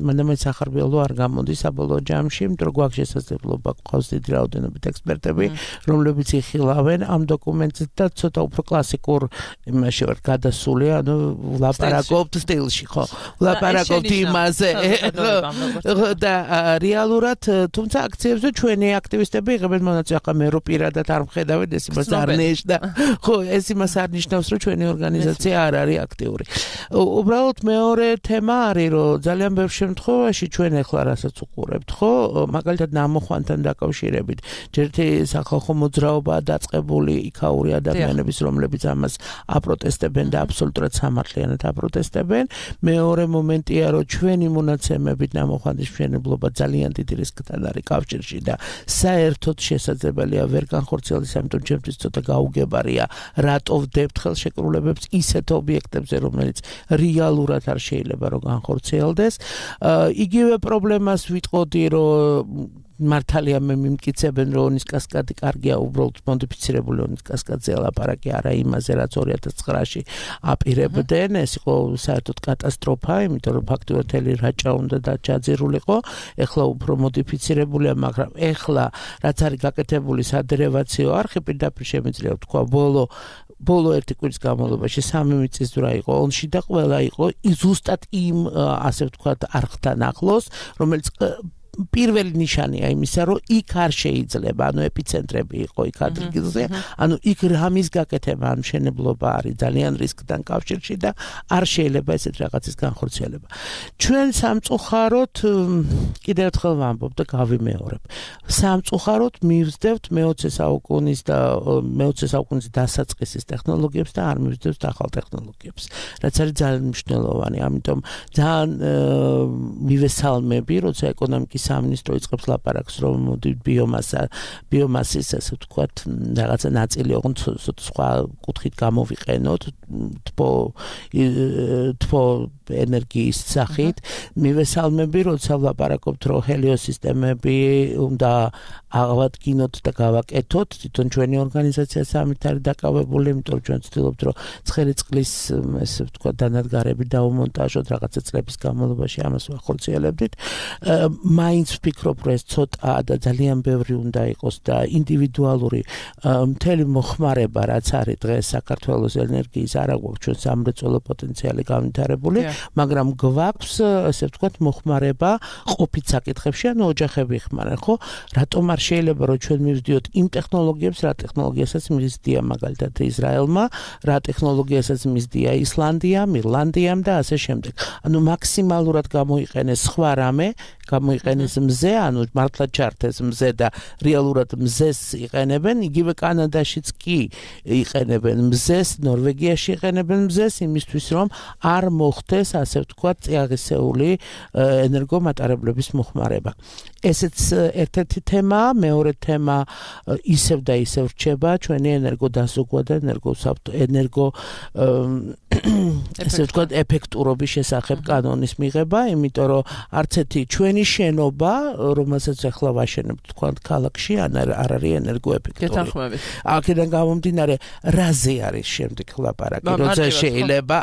მანდამეც ახარბიელო არ გამოდის საბოლოო ჯამში იმიტომ რომ გვაქვს შესაძლებლობა გვყავს დიდი რაოდენობით ექსპერტები რომლებიც იხილავენ ამ დოკუმენტს და ცოტა უფრო კლასიკურ იმაში ვარ გადასული ანუ ვლაპარაკობთ სტილში ხო ვლაპარაკობთ იმაზე და რეალურად თუმცა აქციებზე ჩვენი აქტივისტები იღებენ მონაწილეობას ახლა მე რო პირადად არ მხედავენ ეს იმას არ ნიშნავს ხო ეს იმას არ ნიშნავს რომ ჩვენი ორგანიზაცია არ არის აქტიური უბრალოდ მეორე თემა არის რომ ძალიან ბევრ შემთხვევაში ჩვენ ახლა რასაც უყურებთ ხო მაგალითად ნამოხვანთან დაკავშირებით ჯერთი სახალხო მოძრაობაა დაწყებული იქაური ადამიანების რომლებიც ამას აპროტესტებენ და აბსოლუტურად სამართლიანად აპროტესტებენ მეორე მომენტია რომ ჩვენი მონაცემებით ნამოხვანდის მშენებლობა ძალიან დიდი რისკთან არის კავშირში და საერთოდ შესაძლებელია ვერ განხორციელდეს ამიტომ ჩემთვის ცოტა გაუგებარია რატო ვდებთ ხელშეკრულებებს ისეთ ობიექტებზე რომელიც რეალურად არ შეიძლება რომ განხორციელდეს იგივე პრობლემას ვიტყოდი რომ მართალია მე მიმტკიცებენ რომ ონის კასკადი კარგია უბრალოდ მოდიფიცირებული ონის კასკადზე ლაპარაკი არა იმაზე რაც ორი ათას ცხრაში აპირებდნენ ეს იყო საერთოდ კატასტროფა იმიტომ რომ ფაქტობრივად ელი რაჭა უნდა დაჯაძირულიყო ეხლა უფრო მოდიფიცირებულია მაგრამ ეხლა რაც არის გაკეთებული სადერევაციო არხი პირდაპირ შემიძლია ვთქვა ბოლო ბოლო ერთი კვირის განმავლობაში სამი მიწის ძვრა იყო ონში და ყველა იყო ზუსტად იმ ასე ვთქვათ არხთან ახლოს რომელიც პირველი ნიშანია იმისა, რომ იქ არ შეიძლება, ანუ ეპიცენტრები იყო იქ ადგილზე, ანუ იქ რამის გაკეთება ან მშენებლობა არის ძალიან რისკთან კავშირში და არ შეიძლება ესეთ რაღაცის განხორციელება. ჩვენ სამწუხაროდ კიდევ ერთხელ ვამბობ და გავიმეორებ. სამწუხაროდ მივსდევთ მეოცე საუკუნის და მეოცე საუკუნის დასაწყისის ტექნოლოგიებს და არ მივსდევთ ახალ ტექნოლოგიებს. რაც არის ძალიან მნიშვნელოვანი, ამიტომ ძალიან მივესალმები, როცა ეკონომიკის სამინისტრო იწყებს ლაპარაკს რომ მოდი ბიომასა ბიომასის ასე ვთქვათ რაღაცა ნაწილი ოღონდ სხვა კუთხით გამოვიყენოთ თბო თბო ენერგიის სახით მივესალმები როცა ვლაპარაკობთ რომ ჰელიოსისტემები უნდა აღადგინოთ და გავაკეთოთ თვითონ ჩვენი ორგანიზაციაც ამით არის დაკავებული იმიტომ რომ ჩვენ ვცდილობთ რომ ცხელი წყლის ესე ვთქვათ დანადგარები დაუმონტაჟოთ რაღაცა წლების განმავლობაში ამას ვახორციელებდით მაინც ვფიქრობ რომ ეს ცოტა და ძალიან ბევრი უნდა იყოს და ინდივიდუალური მთელი მოხმარება რაც არის დღეს საქართველოს ენერგიის არა გვაქვს ჩვენ სამრეწველო პოტენციალი განვითარებული მაგრამ გვაქვს ასე ვთქვათ მოხმარება ყოფით საკითხებში ანუ ოჯახები ხმარენ ხო რატომ არ შეიძლება რომ ჩვენ მივდიოთ იმ ტექნოლოგიებს რა ტექნოლოგიასაც მისდია მაგალითად ისრაელმა რა ტექნოლოგიასაც მისდია ისლანდიამ ირლანდიამ და ასე შემდეგ ანუ მაქსიმალურად გამოიყენეს სხვა რამე გამოიყენეს მზე, ანუ მართლა ჩართეს მზე და რეალურად მზეს იყენებენ, იგივე კანადაშიც კი იყენებენ მზეს, ნორვეგიაში იყენებენ მზეს იმისთვის, რომ არ მოხდეს, ასე ვთქვათ, წიაღისეული ენერგომატარებლების მოხმარება. ესეც ერთ-ერთი თემაა, მეორე თემა ისევ და ისევ რჩება ჩვენი ენერგოდაზოგვა და ენერგოსაბტო ენერგო ესე ვთქვათ, ეფექტურობის შესახებ კანონის მიღება, იმიტომ რომ არც ერთი ჩვენი შენობა, რომელსაც ახლა ვაშენებთ თქვა ქალაქში, არ არის ენერგოეფექტური. გეთანხმებით. აქედან გამომდინარე, რაზე არის შემდეგ ლაპარაკი, როცა შეიძლება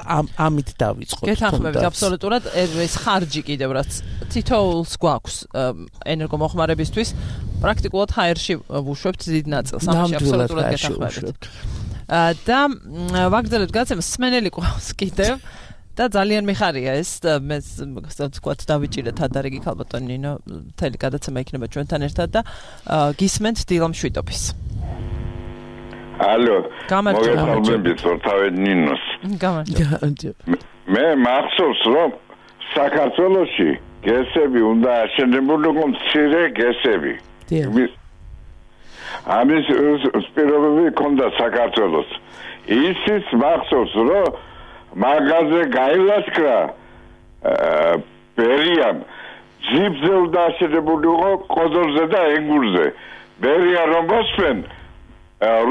ამით დავიწყოთ. გეთანხმებით, აბსოლუტურად ეს ხარჯი კიდევ რაც თითოეულს გვაქვს ენერგომოხმარებისთვის, პრაქტიკულად ჰაერში ვუშვებთ დიდ ნაწილს. ამაში აბსოლუტურად გეთანხმებით. და ვაგრძელებთ გადაცემას სმენელი ყავს კიდევ და ძალიან მიხარია ეს მე ვთქვათ დავიჭირეთ ადარიგი ქალბატონი ნინო მთელი გადაცემა იქნება ჩვენთან ერთად და გისმენთ დილა მშვიდობის ალო გამარჯობა თავი ნინოს გამარჯობა მე მახსოვს რომ საქართველოში გესები უნდა აშენებულიყო მცირე გესები ამის სპირობები ქონდა საქართველოს ისიც მახსოვს რომ მაგაზე გაილაშქრა ბერიამ ჯიბზე უნდა აშენებულიყო ყოდორზე და ენგურზე ბერია რომ მოსვენ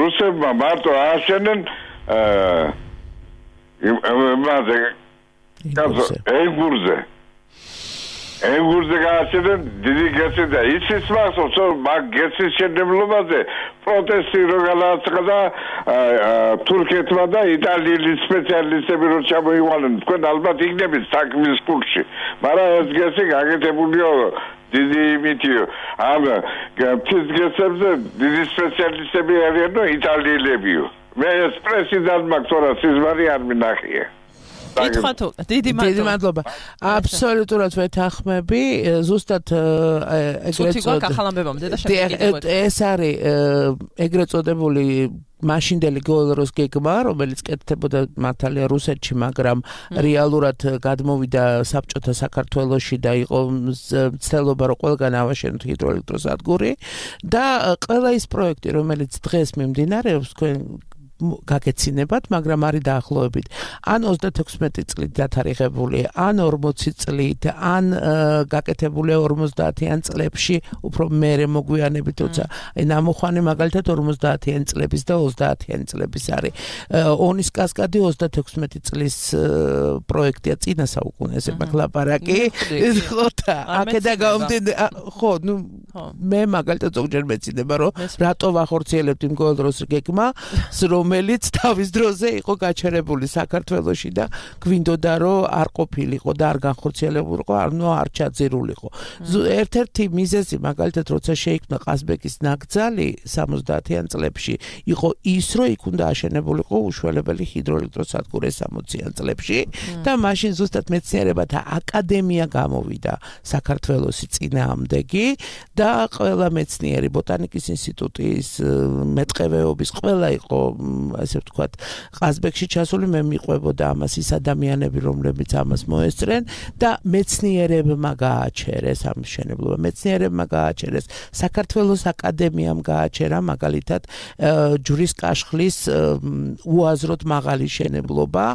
რუსებმა მარტო აშენენ იმაზე ენგურზე ენგურზე გააშენენ დიდი გესი და ისიც მახსოვს რომ მაგ გესის შენებლობაზე პროტესტი რო გადააწყდა თურქეთმა და იტალიის სპეციალისტები რო ჩამოიყვანენ თქვენ ალბათ იქნებით საქმის კურსში მაგრამ ეს გესი გაკეთებულია დიდი იმითიო ამ ფიზ გესებზე დიდი სპეციალისტები არიანო იტალიელებიო მე ეს პრეზიდენტ მაქტორა სიზმარი არ მინახია ითხოვთ დიდი მადლობა აბსოლუტურად ვეთანხმები ზუსტად ეგრეთ წოდებული ეს არის ეგრეთ წოდებული მაშინდელი გოლროს გეგმა რომელიც კეთდებოდა მართალია რუსეთში მაგრამ რეალურად გადმოვიდა საბჭოთა საქართველოში და იყო მცდელობა რომ ყველგან ავაშენოთ ჰიდროელექტროსადგური და ყველა ის პროექტი რომელიც დღეს მიმდინარეობს თქვენ გაგეცინებათ, მაგრამ არის დაახლოებით ან ოცდათექვსმეტი წლით დათარიღებული, ან ორმოცი წლით, ან გაკეთებული ორმოცდაათიან წლებში, უფრო მერე მოგვიანებით, თორსა აი ნამოხვანი მაგალითად ორმოცდაათიან წლების და ოცდაათიან წლების არის. ონის კასკადი ოცდათექვსმეტი წლის პროექტია, წინა საუკუნეზე მაგ ლაპარაკი. ხო და აქედა გამომდინარე, ხო, ნუ მე მაგალითად ზოგჯერ მეცინება, რომ რატო ვახორციელებთ იმ ყოველ დროს გეგმა, რომელიც თავის დროზე იყო გაჩერებული საქართველოში და გვინდოდა რომ არ ყოფილიყო და არ განხორციელებულიყო, ანუ არ ჩაძირულიყო. ერთ-ერთი მიზეზი მაგალითად როცა შეიქმნა ყაზბეგის ნაკრძალი სამოცდაათიან წლებში, იყო ის, რომ იქ უნდა აშენებულიყო უშველებელი ჰიდროელექტროსადგური სამოციან წლებში და მაშინ ზუსტად მეცნიერებათა აკადემია გამოვიდა საქართველოსი წინააღმდეგი და ყველა მეცნიერი ბოტანიკის ინსტიტუტის მეტყევეობის ყველა იყო ასე ვთქვათ ყაზბეგში ჩასული, მე მიყვებოდა ამას ის ადამიანები, რომლებიც ამას მოესწრენ და მეცნიერებმა გააჩერეს ამ მშენებლობა, მეცნიერებმა გააჩერეს, საქართველოს აკადემიამ გააჩერა მაგალითად ჯვრის კაშხლის უაზროდ მაღალი შენებლობა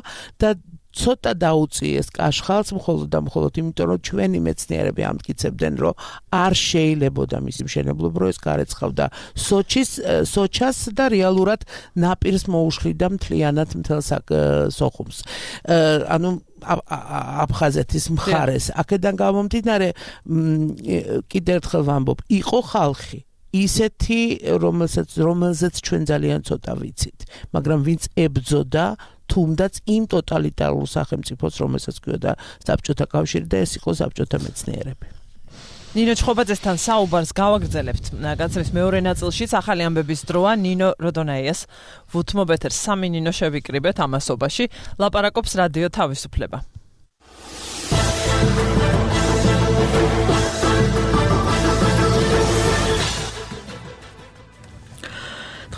და ცოტა დაუწიეს კაშხალს მხოლოდ და მხოლოდ იმიტომ, რომ ჩვენი მეცნიერები ამტკიცებდნენ, რომ არ შეიძლებოდა მისი მშენებლობა, რომ ეს გარეცხავდა სოჩის, სოჩას და რეალურად ნაპირს მოუშლიდა მთლიანად მთელ სოხუმს. ანუ აფხაზეთის მხარეს. აქედან გამომდინარე, კიდევ ერთხელ ვამბობ, იყო ხალხი ისეთი, რომელსაც რომელზეც ჩვენ ძალიან ცოტა ვიცით, მაგრამ ვინც ებრძოდა თუნდაც იმ ტოტალიტარულ სახელმწიფოს, რომელსაც ქვია საბჭოთა კავშირი და ეს იყო საბჭოთა მეცნიერები. ნინო ჩხობაძესთან საუბარს გავაგრძელებთ. განცემის მეორე ნაწილშიც ახალი ამბების დროა ნინო როდონაიას ვუთმობ ეთერს. სამი ნინო შევიკრიბეთ ამასობაში. ლაპარაკობს რადიო თავისუფლება.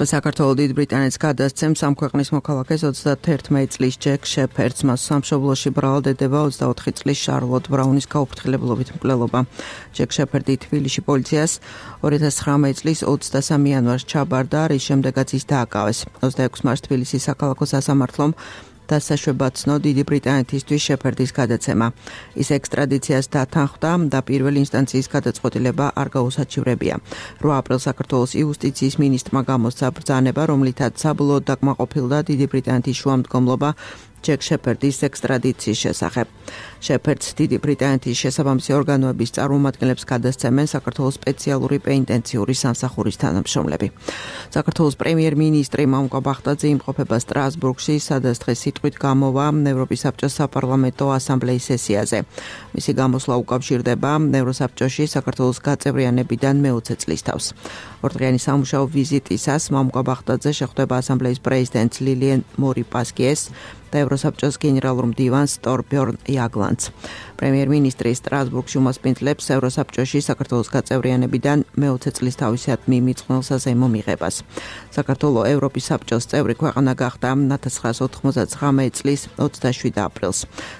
საქართველოს დიდ ბრიტანეთს გადასცემს ამ ქვეყნის მოქალაქეს ოცდაერთმეტი წლის ჯეკ შეფერდს, მას სამშობლოში ბრალდება ოცდაოთხი წლის შარლოტ ბრაუნის გაუფრთხილებლობით მკვლელობა. ჯეკ შეფერდი თბილისში პოლიციას ორი ათას ცხრამეტი წლის ოცდასამი იანვარს ჩაბარდა, რის შემდეგაც ის დააკავეს. ოცდაექვსი მარტს თბილისის საქალაქო სასამართლომ დასაშვება ცნო დიდი ბრიტანეთისთვის შეფერდის გადაცემა. ის ექსტრადიციას დათანხმდა და პირველი ინსტანციის გადაწყვეტილება არ გაუსაჩივრებია. რვა აპრილს საქართველოს იუსტიციის მინისტრმა გამოსცა ბრძანება, რომლითაც საბოლოოდ დაკმაყოფილდა დიდი ბრიტანეთის შუამდგომლობა ჯეკ შეფერდის ექსტრადიციის შესახებ. შეფერდს დიდი ბრიტანეთის შესაბამისი ორგანოების წარმომადგენლებს გადასცემენ საქართველოს სპეციალური პენიტენციური სამსახურის თანამშრომლები. საქართველოს პრემიერ-მინისტრი მამუკა ბახტაძე იმყოფება სტრასბურგში, სადაც დღეს სიტყვით გამოვა ევროპის საბჭოს საპარლამენტო ასამბლეის სესიაზე. მისი გამოსვლა უკავშირდება ევროსაბჭოში საქართველოს გაწევრიანებიდან მეოცე წლის თავს. ორდღიანი სამუშაო ვიზიტისას მამუკა ბახტაძე შეხვდება ასამბლეის პრეზიდენტს ლილიან მორი პასკიეს და ევროსაბჭოს გენერალურ მდივანს ტორბjörn იაგლანს. პრემიერ-მინისტრი სტრასბურგში უმასპინძლებს ევროსაბჭოში საქართველოს გაწევრიანებიდან მეოცე წლის თავისად მიმიწყნელ საზეიმო მიღებას. საქართველოს ევროპის საბჭოს წევრი ქვეყანა გახდა ათას ცხრაას ოთხმოცდაცხრამეტი წლის ოცდაშვიდი აპრილს.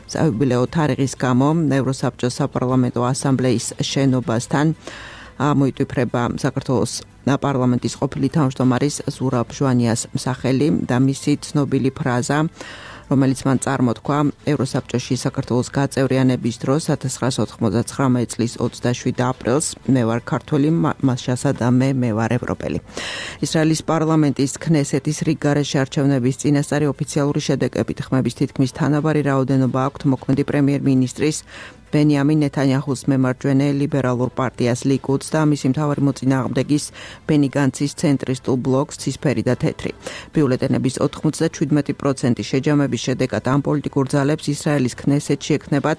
საიუბილეო თარიღის გამო ევროსაბჭოს საპარლამენტო ასამბლეის შენობასთან მოიტვიფრება საქართველოს პარლამენტის ყოფილი თავმჯდომარის ზურაბ ჟვანიას სახელი და მისი ცნობილი ფრაზა, რომელიც მან წარმოთქვა ევროსაბჭოში საქართველოს გაწევრიანების დროს ათას ცხრაას ოთხმოცდაცხრამეტი წლის ოცდაშვიდი აპრილს მე ვარ ქართველი, მას შესაძამე მე ვარ ევროპელი. ისრაელის პარლამენტის ქნესეთის რიგგარეშე არჩევნების წინასწარი ოფიციალური შედეგებით ხმების თითქმის თანაბარი რაოდენობა აქვთ მოქმედი პრემიერ-მინისტრის ბენიამინ ნეთანიაჰუს მემარჯვენე ლიბერალურ პარტიას ლიკუდს და მისი მთავარი მოწინააღმდეგის ბენი განცის ცენტრისტულ ბლოკს ცისფერი და თეთრი. ბიულეტენების ოთხმოცდაშვიდი პროცენტი შეჯამების შედეგად ამ პოლიტიკურ ძალებს ისრაელის ქნესეთში ექნებათ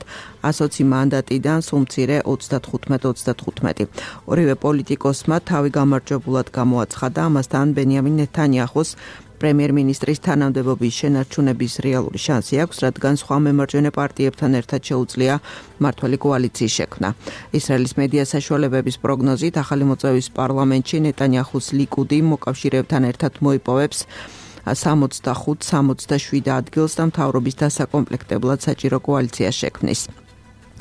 ასოცი მანდატიდან სულ მცირე ოცდათხუთმეტი ოცდათხუთმეტი. ორივე პოლიტიკოსმა თავი გამარჯვებულად გამოაცხადა, ამასთან ბენიამინ ნეთანიაჰუს პრემიერ-მინისტრის თანამდებობის შენარჩუნების რეალური შანსი აქვს, რადგან სხვა მემარჯვენე პარტიებთან ერთად შეუძლია მმართველი კოალიციის შექმნა. ისრაელის მედია საშუალებების პროგნოზით ახალი მოწვევის პარლამენტში ნეტანიაჰუს ლიკუდი მოკავშირეებთან ერთად მოიპოვებს სამოცდახუთ სამოცდაშვიდ ადგილს და მთავრობის დასაკომპლექტებლად საჭირო კოალიცია შექმნის.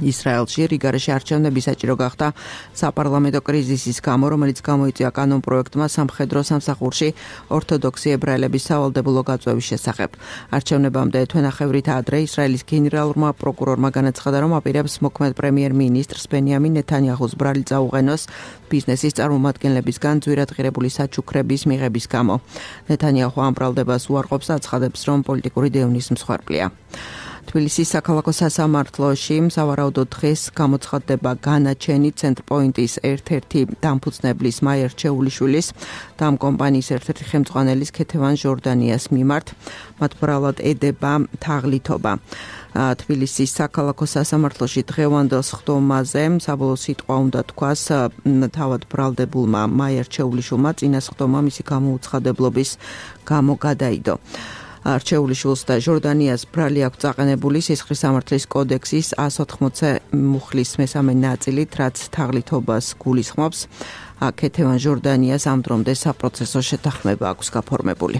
ისრაელში რიგარეში არჩევნები საჭირო გახდა საპარლამენტო კრიზისის გამო, რომელიც გამოიწვია კანონპროექტმა სამხედრო სამსახურში ორთოდოქსი ებრაელების სავალდებულო გაწვევის შესახებ. არჩევნებამდე თვენახევრით ადრე ისრაელის გენერალურმა პროკურორმა განაცხადა, რომ აპირებს მოქმედ პრემიერ-მინისტრს ბენიამინ ნეთანიაჰუს ბრალი წაუყენოს ბიზნესის წარმომადგენლებისგან ძვირადღირებული საჩუქრების მიღების გამო. ნეთანიაჰუ ამ ბრალდებას უარყოფს, აცხადებს, რომ პოლიტიკური დევნის მსხვერპლია. თბილისის საქალაქო სასამართლოში სავარაუდოდ დღეს გამოცხადდება განაჩენი ცენტრპოინტის ერთ-ერთი დამფუძნებლის მაიერ ჩეულიშვილის და ამ კომპანიის ერთ-ერთი ხელმძღვანელის ქეთევან ჟორდანიას მიმართ. მათ ბრალად ედება თაღლითობა. თბილისის საქალაქო სასამართლოში დღევანდელ სხდომაზე საბოლოო სიტყვა უნდა თქვას თავად ბრალდებულმა მაიერ ჩეულიშვილმა, წინა სხდომა მისი გამოუცხადებლობის გამო გადაიდო. არჩეულიშვილს და ჟორდანიას ბრალი აქვს წაყენებული სისხლის სამართლის კოდექსის εκατს ოთხმოცი მუხლის მესამე ნაწილით, რაც თაღლითობას გულისხმობს. ქეთევან ჟორდანიას ამ დრომდე საპროცესო შეთანხმება აქვს გაფორმებული.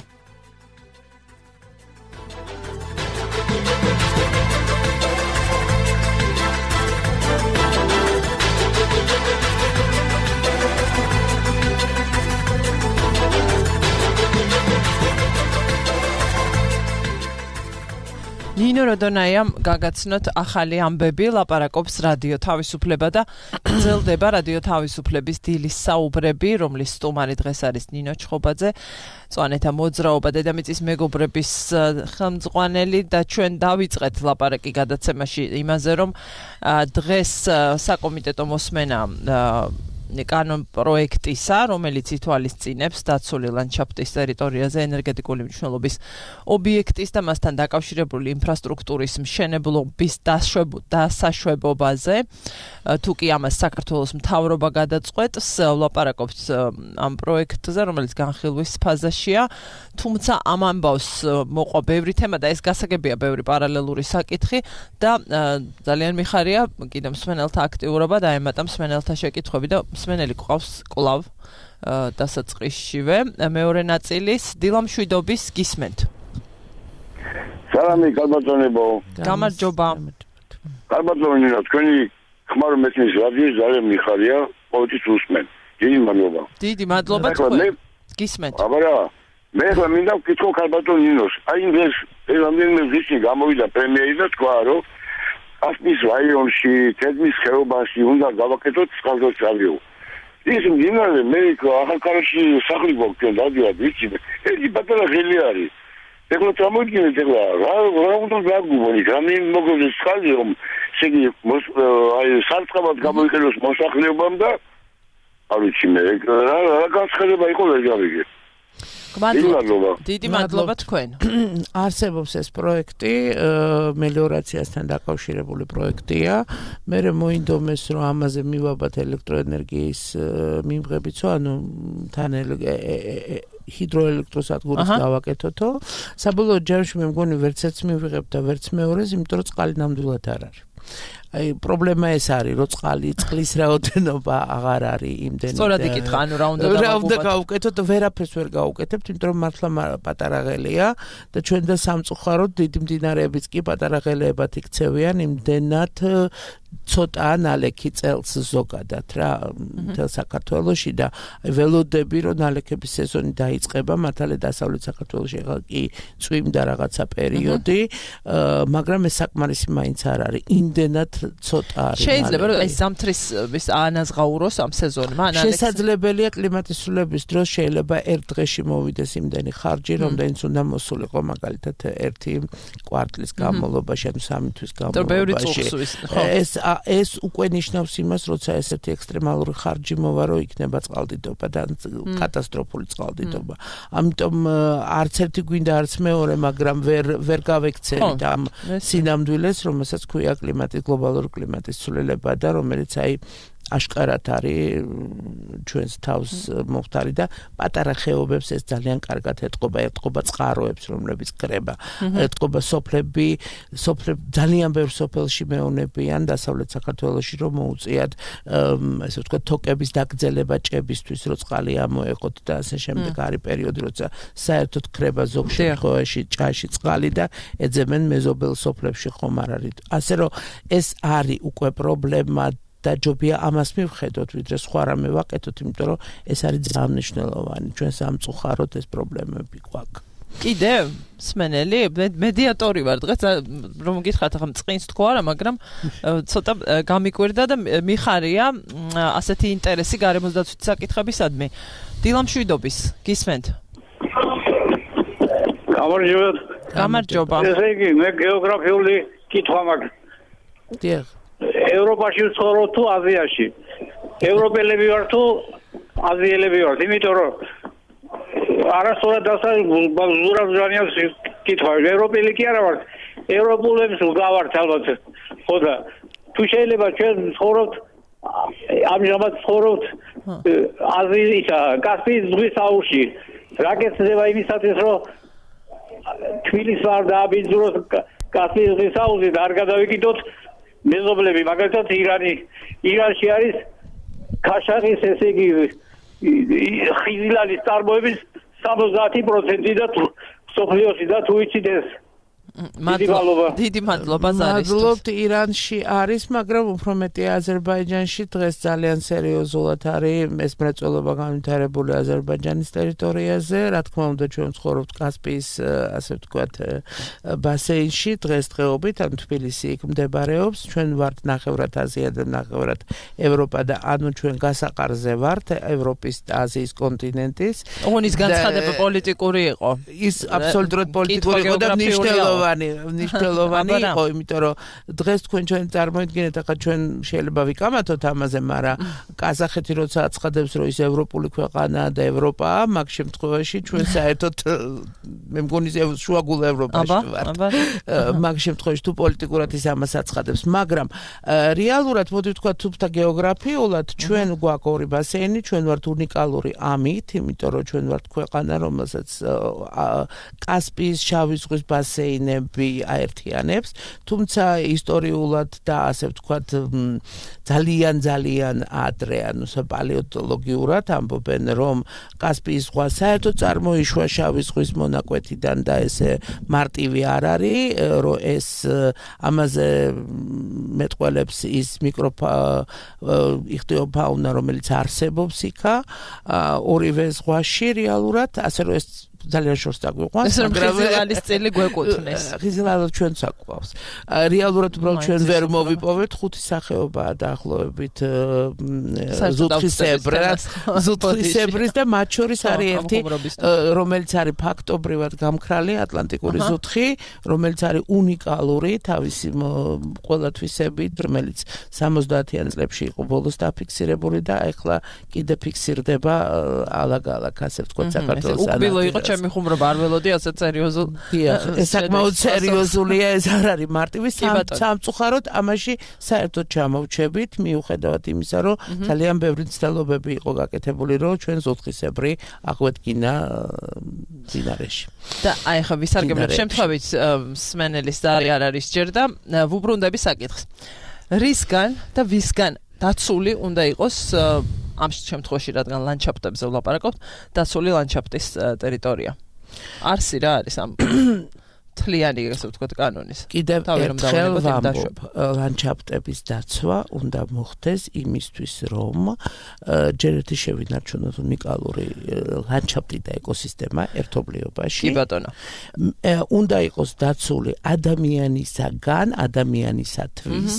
ნინო როდონაიამ გაგაცნოთ ახალი ამბები, ლაპარაკობს რადიო თავისუფლება და გრძელდება რადიო თავისუფლების დილის საუბრები, რომლის სტუმარი დღეს არის ნინო ჩხობაძე, წვანეთა მოძრაობა დედამიწის მეგობრების ხელმძღვანელი და ჩვენ დავიწყეთ ლაპარაკი გადაცემაში იმაზე, რომ დღეს საკომიტეტო მოსმენა კანონ პროექტისა, რომელიც ითვალისწინებს დაცული ლანდშაფტის ტერიტორიაზე ენერგეტიკული მნიშვნელობის ობიექტის და მასთან დაკავშირებული ინფრასტრუქტურის მშენებლობის დასაშვებობაზე, თუ კი ამას საქართველოს მთავრობა გადაწყვეტს, ვლაპარაკობთ ამ პროექტზე, რომელიც განხილვის ფაზაშია, თუმცა ამ ამბავს მოყვა ბევრი თემა და ეს გასაგებია ბევრი პარალელური საკითხი და ძალიან მიხარია კიდე მსმენელთა აქტიურობა და ემატა მსმენელთა შეკითხვები და მსმენელი ყავს კლავ დასაწყისშივე. მეორე ნაწილის დილამშვიდობის გისმენთ. სალამი კალბატონებო. გამარჯობა. კალბატონინა, თქვენი ხმარო მეთნის რადიო ძალიან მიხარია, ყოველთვის უსმენ. დიდი მადლობა. დიდი მადლობა თქვენ. გისმენთ. აბარა, მე ხა მინდა ვკითხო კალბატონინოს. აი ეს რამდენიმე ვისი გამოვიდა პრემიერი და თქვა, რომ ასპის რაიონში, თედმის ხეობაში უნდა გავაკეთოთ წყალდაჭრალიო. ის მდინარე მე ახალქალაქში სახლი გვაქვს დადიად ვიცი. ერთი პატარა ღელი არის. ეხლა წამოიდგინეთ ეხლა რა რა უნდა გაგუბონი, გამინ მოგოდეს წყალი რომ შეგი აი სარწყავად გამოიყენოს მოსახლეობამ და არ ვიცი მე რა რა განცხადება იყო ეს გავიგე. მადლობა. დიდი მადლობა თქვენ. არსებობს ეს პროექტი, მელიორაციასთან დაკავშირებული პროექტია. მე მოინდომეს რომ ამაზე მივაბათ ელექტროენერგიის მიმღებიცო, ანუ თან ჰიდროელექტროსადგურის გავაკეთოთო. საბოლოო ჯამში მე მგონი ვერც ერთს მივიღებ და ვერც მეორეს, იმიტომ რომ წყალი ნამდვილად არ არის. აი პრობლემა ეს არის, რომ წყალი წყლის რაოდენობა აღარ არის იმდენი. სწორად იკითხა, ანუ რა უნდა რა უნდა გავუკეთოთ, ვერაფერს ვერ გავუკეთებთ, იმიტომ რომ მართლა პატარა ღელია და ჩვენ და სამწუხაროდ დიდი მდინარეებიც კი პატარა ღელებად იქცევიან, იმდენად ცოტა ნალექი წელს ზოგადად რა მთელ საქართველოში და ველოდები რომ ნალექების სეზონი დაიწყება მართალია დასავლეთ საქართველოში ახლა კი წვიმდა რაღაცა პერიოდი, მაგრამ ეს საკმარისი მაინც არ არის, იმდენად ცოტა არის. შეიძლება რომ ეს ზამთრის ანაზღაუროს ამ სეზონმა ნალექს. შესაძლებელია კლიმატის ცვლილების დროს შეიძლება ერთ დღეში მოვიდეს იმდენი ხარჯი, რომდენიც უნდა მოსულიყო მაგალითად ერთი კვარტლის განმავლობაში, ანუ სამი თვის განმავლობაში. ეს ეს უკვე ნიშნავს იმას, როცა ესეთი ექსტრემალური ხარჯი მოვა, რომ იქნება წყალდიდობა და კატასტროფული წყალდიდობა. ამიტომ არც ერთი გვინდა არც მეორე, მაგრამ ვერ ვერ გავექცევით ამ სინამდვილეს, რომელსაც ქვია კლიმატის გლობალური კლიმატის ცვლილება და რომელიც აი აშკარად არის ჩვენს თავს მომხდარი და პატარა ხეობებს ეს ძალიან კარგად ეთყობა, ეთყობა წყაროებს, რომლებიც კრება, ეთყობა სოფლები, სოფლები ძალიან ბევრ სოფელში მეუნებიან დასავლეთ საქართველოში რომ მოუწიათ ესე ვთქვათ თოკების დაგრძელება ჭებისთვის, რომ წყალი ამოეყოთ და ასე შემდეგ არის პერიოდი, როცა საერთოდ კრება ზოგ შემთხვევაში ჭაში წყალი და ეძებენ მეზობელ სოფლებში ხომ არ არის. ასე რომ ეს არის უკვე პრობლემა და ჯობია ამას მივხედოთ, ვიდრე სხვა რამე ვაკეთოთ, იმიტომ რომ ეს არის ძალიან მნიშვნელოვანი. ჩვენ სამწუხაროდ ეს პრობლემები გვაქვს. კიდე სმენელი მედიატორი ვარ დღეს რომ გითხრათ ახლა წყინს თქო არა მაგრამ ცოტა გამიკვირდა და მიხარია ასეთი ინტერესი გარემოსდაცვითი საკითხებისადმი დილამშვიდობის გისმენთ გამარჯობა გამარჯობა ესე იგი მე გეოგრაფიული კითხვა მაქვს დიახ ევროპაში ვცხოვრობ თუ აზიაში ევროპელები ვარ თუ აზიელები ვარ იმიტომ რომ არასწორად დასაზურა ზურიანს კითხვა ევროპელი კი არა ვარ ევროპულებს ვგავართ ალბათ ხო და თუ შეიძლება ჩვენ ვცხოვრობთ ამჟამად ვცხოვრობთ აზიისა კასპიის ზღვის აუზში რაკეთდება იმისათვის რომ თბილისს არ დააბინძუროს კასპიის ზღვის აუზი და არ გადავიკიდოთ მეზობლები მაგალითად ირანი ირანში არის ქაშაღის ესე იგი ხიზილალის წარმოების სამოცდაათი პროცენტი და სოფლიოში და თუ იცით ეს მადლობა დიდი მადლობა ზარისთვის მადლობთ ირანში არის მაგრამ უფრო მეტი აზერბაიჯანში დღეს ძალიან სერიოზულად არის ეს მრეწველობა განვითარებული აზერბაიჯანის ტერიტორიაზე რა თქმა უნდა ჩვენ ვცხოვრობთ კასპიის ასე ვთქვათ ბასეინში დღესდღეობით ან თბილისი იქ მდებარეობს ჩვენ ვართ ნახევრად აზია და ნახევრად ევროპა და ანუ ჩვენ გასაყარზე ვართ ევროპის და აზიის კონტინენტის ოღონის განცხადება პოლიტიკური იყო ის აბსოლუტურად პოლიტიკური იყო და მნიშვნელოვანი ნიშნულოვანი იყო, იმიტომ რომ დღეს თქვენ ჩვენ წარმოიდგინეთ, ახლა ჩვენ შეიძლება ვიკამათოთ ამაზე, მაგრამ ყაზახეთი როცა აცხადებს, რომ ის ევროპული ქვეყანაა და ევროპაა, მაგ შემთხვევაში ჩვენ საერთოდ მე მგონი შუაგულ ევროპაში ვართ. მაგ შემთხვევაში თუ პოლიტიკურად ის ამას აცხადებს, მაგრამ რეალურად მოდი ვთქვა თუმცა გეოგრაფიულად ჩვენ გვაქვს ორი ბასეინი, ჩვენ ვართ უნიკალური ამით, იმიტომ რომ ჩვენ ვართ ქვეყანა, რომელსაც კასპიის შავი ზღვის ბასეინი აერთიანებს, თუმცა ისტორიულად და ასე ვთქვათ ძალიან ძალიან ადრე, ანუ პალეონტოლოგიურად ამბობენ, რომ კასპიის ზღვა საერთოდ წარმოიშვა შავი ზღვის მონაკვეთიდან და ესე მარტივი არ არის, რომ ეს ამაზე მეტყველებს ის მიკროფაუნა, რომელიც არსებობს იქა, ორივე ზღვაში რეალურად, ასე რომ ეს ძალიან შორს დაგვიყვანს, მაგრამ ხიზილალის წილი გვეკუთვნეს. ხიზილალა ჩვენ საკვავს. რეალურად უბრალოდ ჩვენ ვერ მოვიპოვეთ ხუთი სახეობაა დაახლოებით ზუთხისებრას, ზუთხისებრის და მათ შორის არის ერთი, რომელიც არის ფაქტობრივად გამქრალი ატლანტიკური ზუთხი, რომელიც არის უნიკალური თავისი ყველათვისებით, რომელიც სამოცდაათიან წლებში იყო ბოლოს დაფიქსირებული და ეხლა კიდე ფიქსირდება ალაგ-ალაგ, ასე ვთქვათ, საქართველოს ანალიზად. ჩემი ხუმრობა არ ველოდი ასე სერიოზულ. დიახ, ეს საკმაოდ სერიოზულია, ეს არ არის მარტივი სამწუხაროდ ამაში საერთოდ ჩამოვჩებით, მიუხედავად იმისა, რომ ძალიან ბევრი ცდილობები იყო გაკეთებული, რომ ჩვენ ზოთხისებრი აღვედგინა მდინარეში. და აი ხა ვისარგებლებ შემთხვევით სმენელის ზარი არ არის ჯერ და ვუბრუნდები საკითხს. რისგან და ვისგან დაცული უნდა იყოს ამ შემთხვევაში რადგან ლანდშაფტებზე ვლაპარაკობთ, დაცული ლანდშაფტის ტერიტორია. არსი რა არის ამ თლიანი ასე ვთქვათ კანონის. კიდევ ერთხელ ვამბობ, ლანდშაფტების დაცვა უნდა მოხდეს იმისთვის, რომ ჯერ ერთი შევინარჩუნოთ უნიკალური ლანდშაფტი და ეკოსისტემა ერთობლიობაში. კი ბატონო. უნდა იყოს დაცული ადამიანისაგან, ადამიანისათვის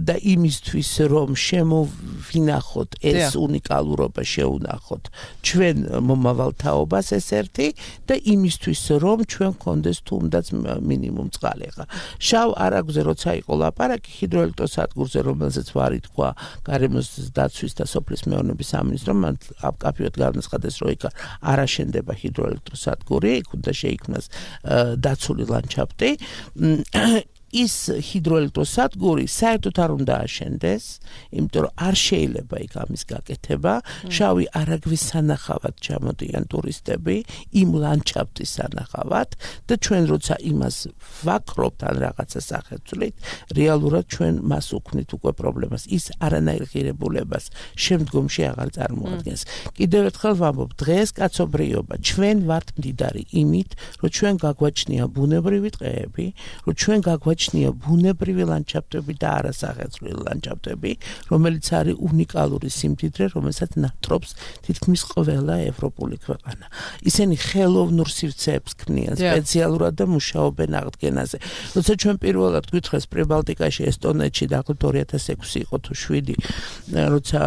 და იმისთვის, რომ შემოვინახოთ ეს უნიკალურობა, შეუნახოთ ჩვენ მომავალთაობას ეს ერთი და იმისთვის, რომ ჩვენ გქონდეს თუნდაც მინიმუმ წყალი ხა. შავ არაგზე როცა იყო ლაპარაკი ჰიდროელექტროსადგურზე, რომელზეც ვარი თქვა გარემოს დაცვის და სოფლის მეურნეობის სამინისტრომ, მან კაფეოდ განაცხადეს, რომ იქ არ აშენდება ჰიდროელექტროსადგური, იქ უნდა შეიქმნას დაცული ლანდშაფტი. ის ჰიდროელექტროსადგური საერთოდ არ უნდა აშენდეს, იმიტომ რომ არ შეიძლება იქ ამის გაკეთება. შავი არაგვის სანახავად ჩამოდიან ტურისტები, იმ ლანდშაფტის სანახავად და ჩვენ როცა იმას ვაკრობთ ან რაღაცა სახეცვლით, რეალურად ჩვენ მას უქმნით უკვე პრობლემას. ის არანაირ ღირებულებას შემდგომში აღარ წარმოადგენს. კიდევ ერთხელ ვამბობ, დღეს კაცობრიობა ჩვენ ვართ მდიდარი იმით, რომ ჩვენ გაგვაჩნია ბუნებრივი ტყეები, რომ ჩვენ გაგვაჩნია ბუნებრივი ლანდშაფტები და არასახეცვლილი ლანდშაფტები, რომელიც არის უნიკალური სიმდიდრე, რომელსაც ნატრობს თითქმის ყველა ევროპული ქვეყანა. ისინი ხელოვნურ სივრცეებს ქმნიან სპეციალურად და მუშაობენ აღდგენაზე. როცა ჩვენ პირველად გვითხრეს პრიბალტიკაში, ესტონეთში დაახლოებით ორი ათას ექვსი იყო თუ შვიდი, როცა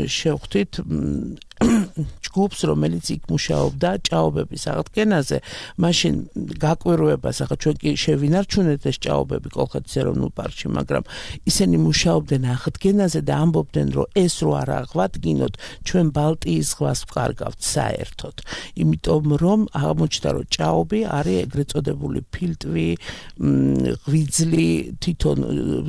შევხვდით ჯგუფს, რომელიც იქ მუშაობდა ჭაობების აღდგენაზე, მაშინ გაკვირვებას, ახლა ჩვენ კი შევინარჩუნეთ ეს ჭაობები კოლხეთის ეროვნულ პარკში, მაგრამ ისინი მუშაობდნენ აღდგენაზე და ამბობდნენ, რომ ეს რო არ აღვადგინოთ, ჩვენ ბალტიის ზღვას ვკარგავთ საერთოდ. იმიტომ რომ აღმოჩნდა, რომ ჭაობი არის ეგრეთ წოდებული ფილტვი, ღვიძლი თვითონ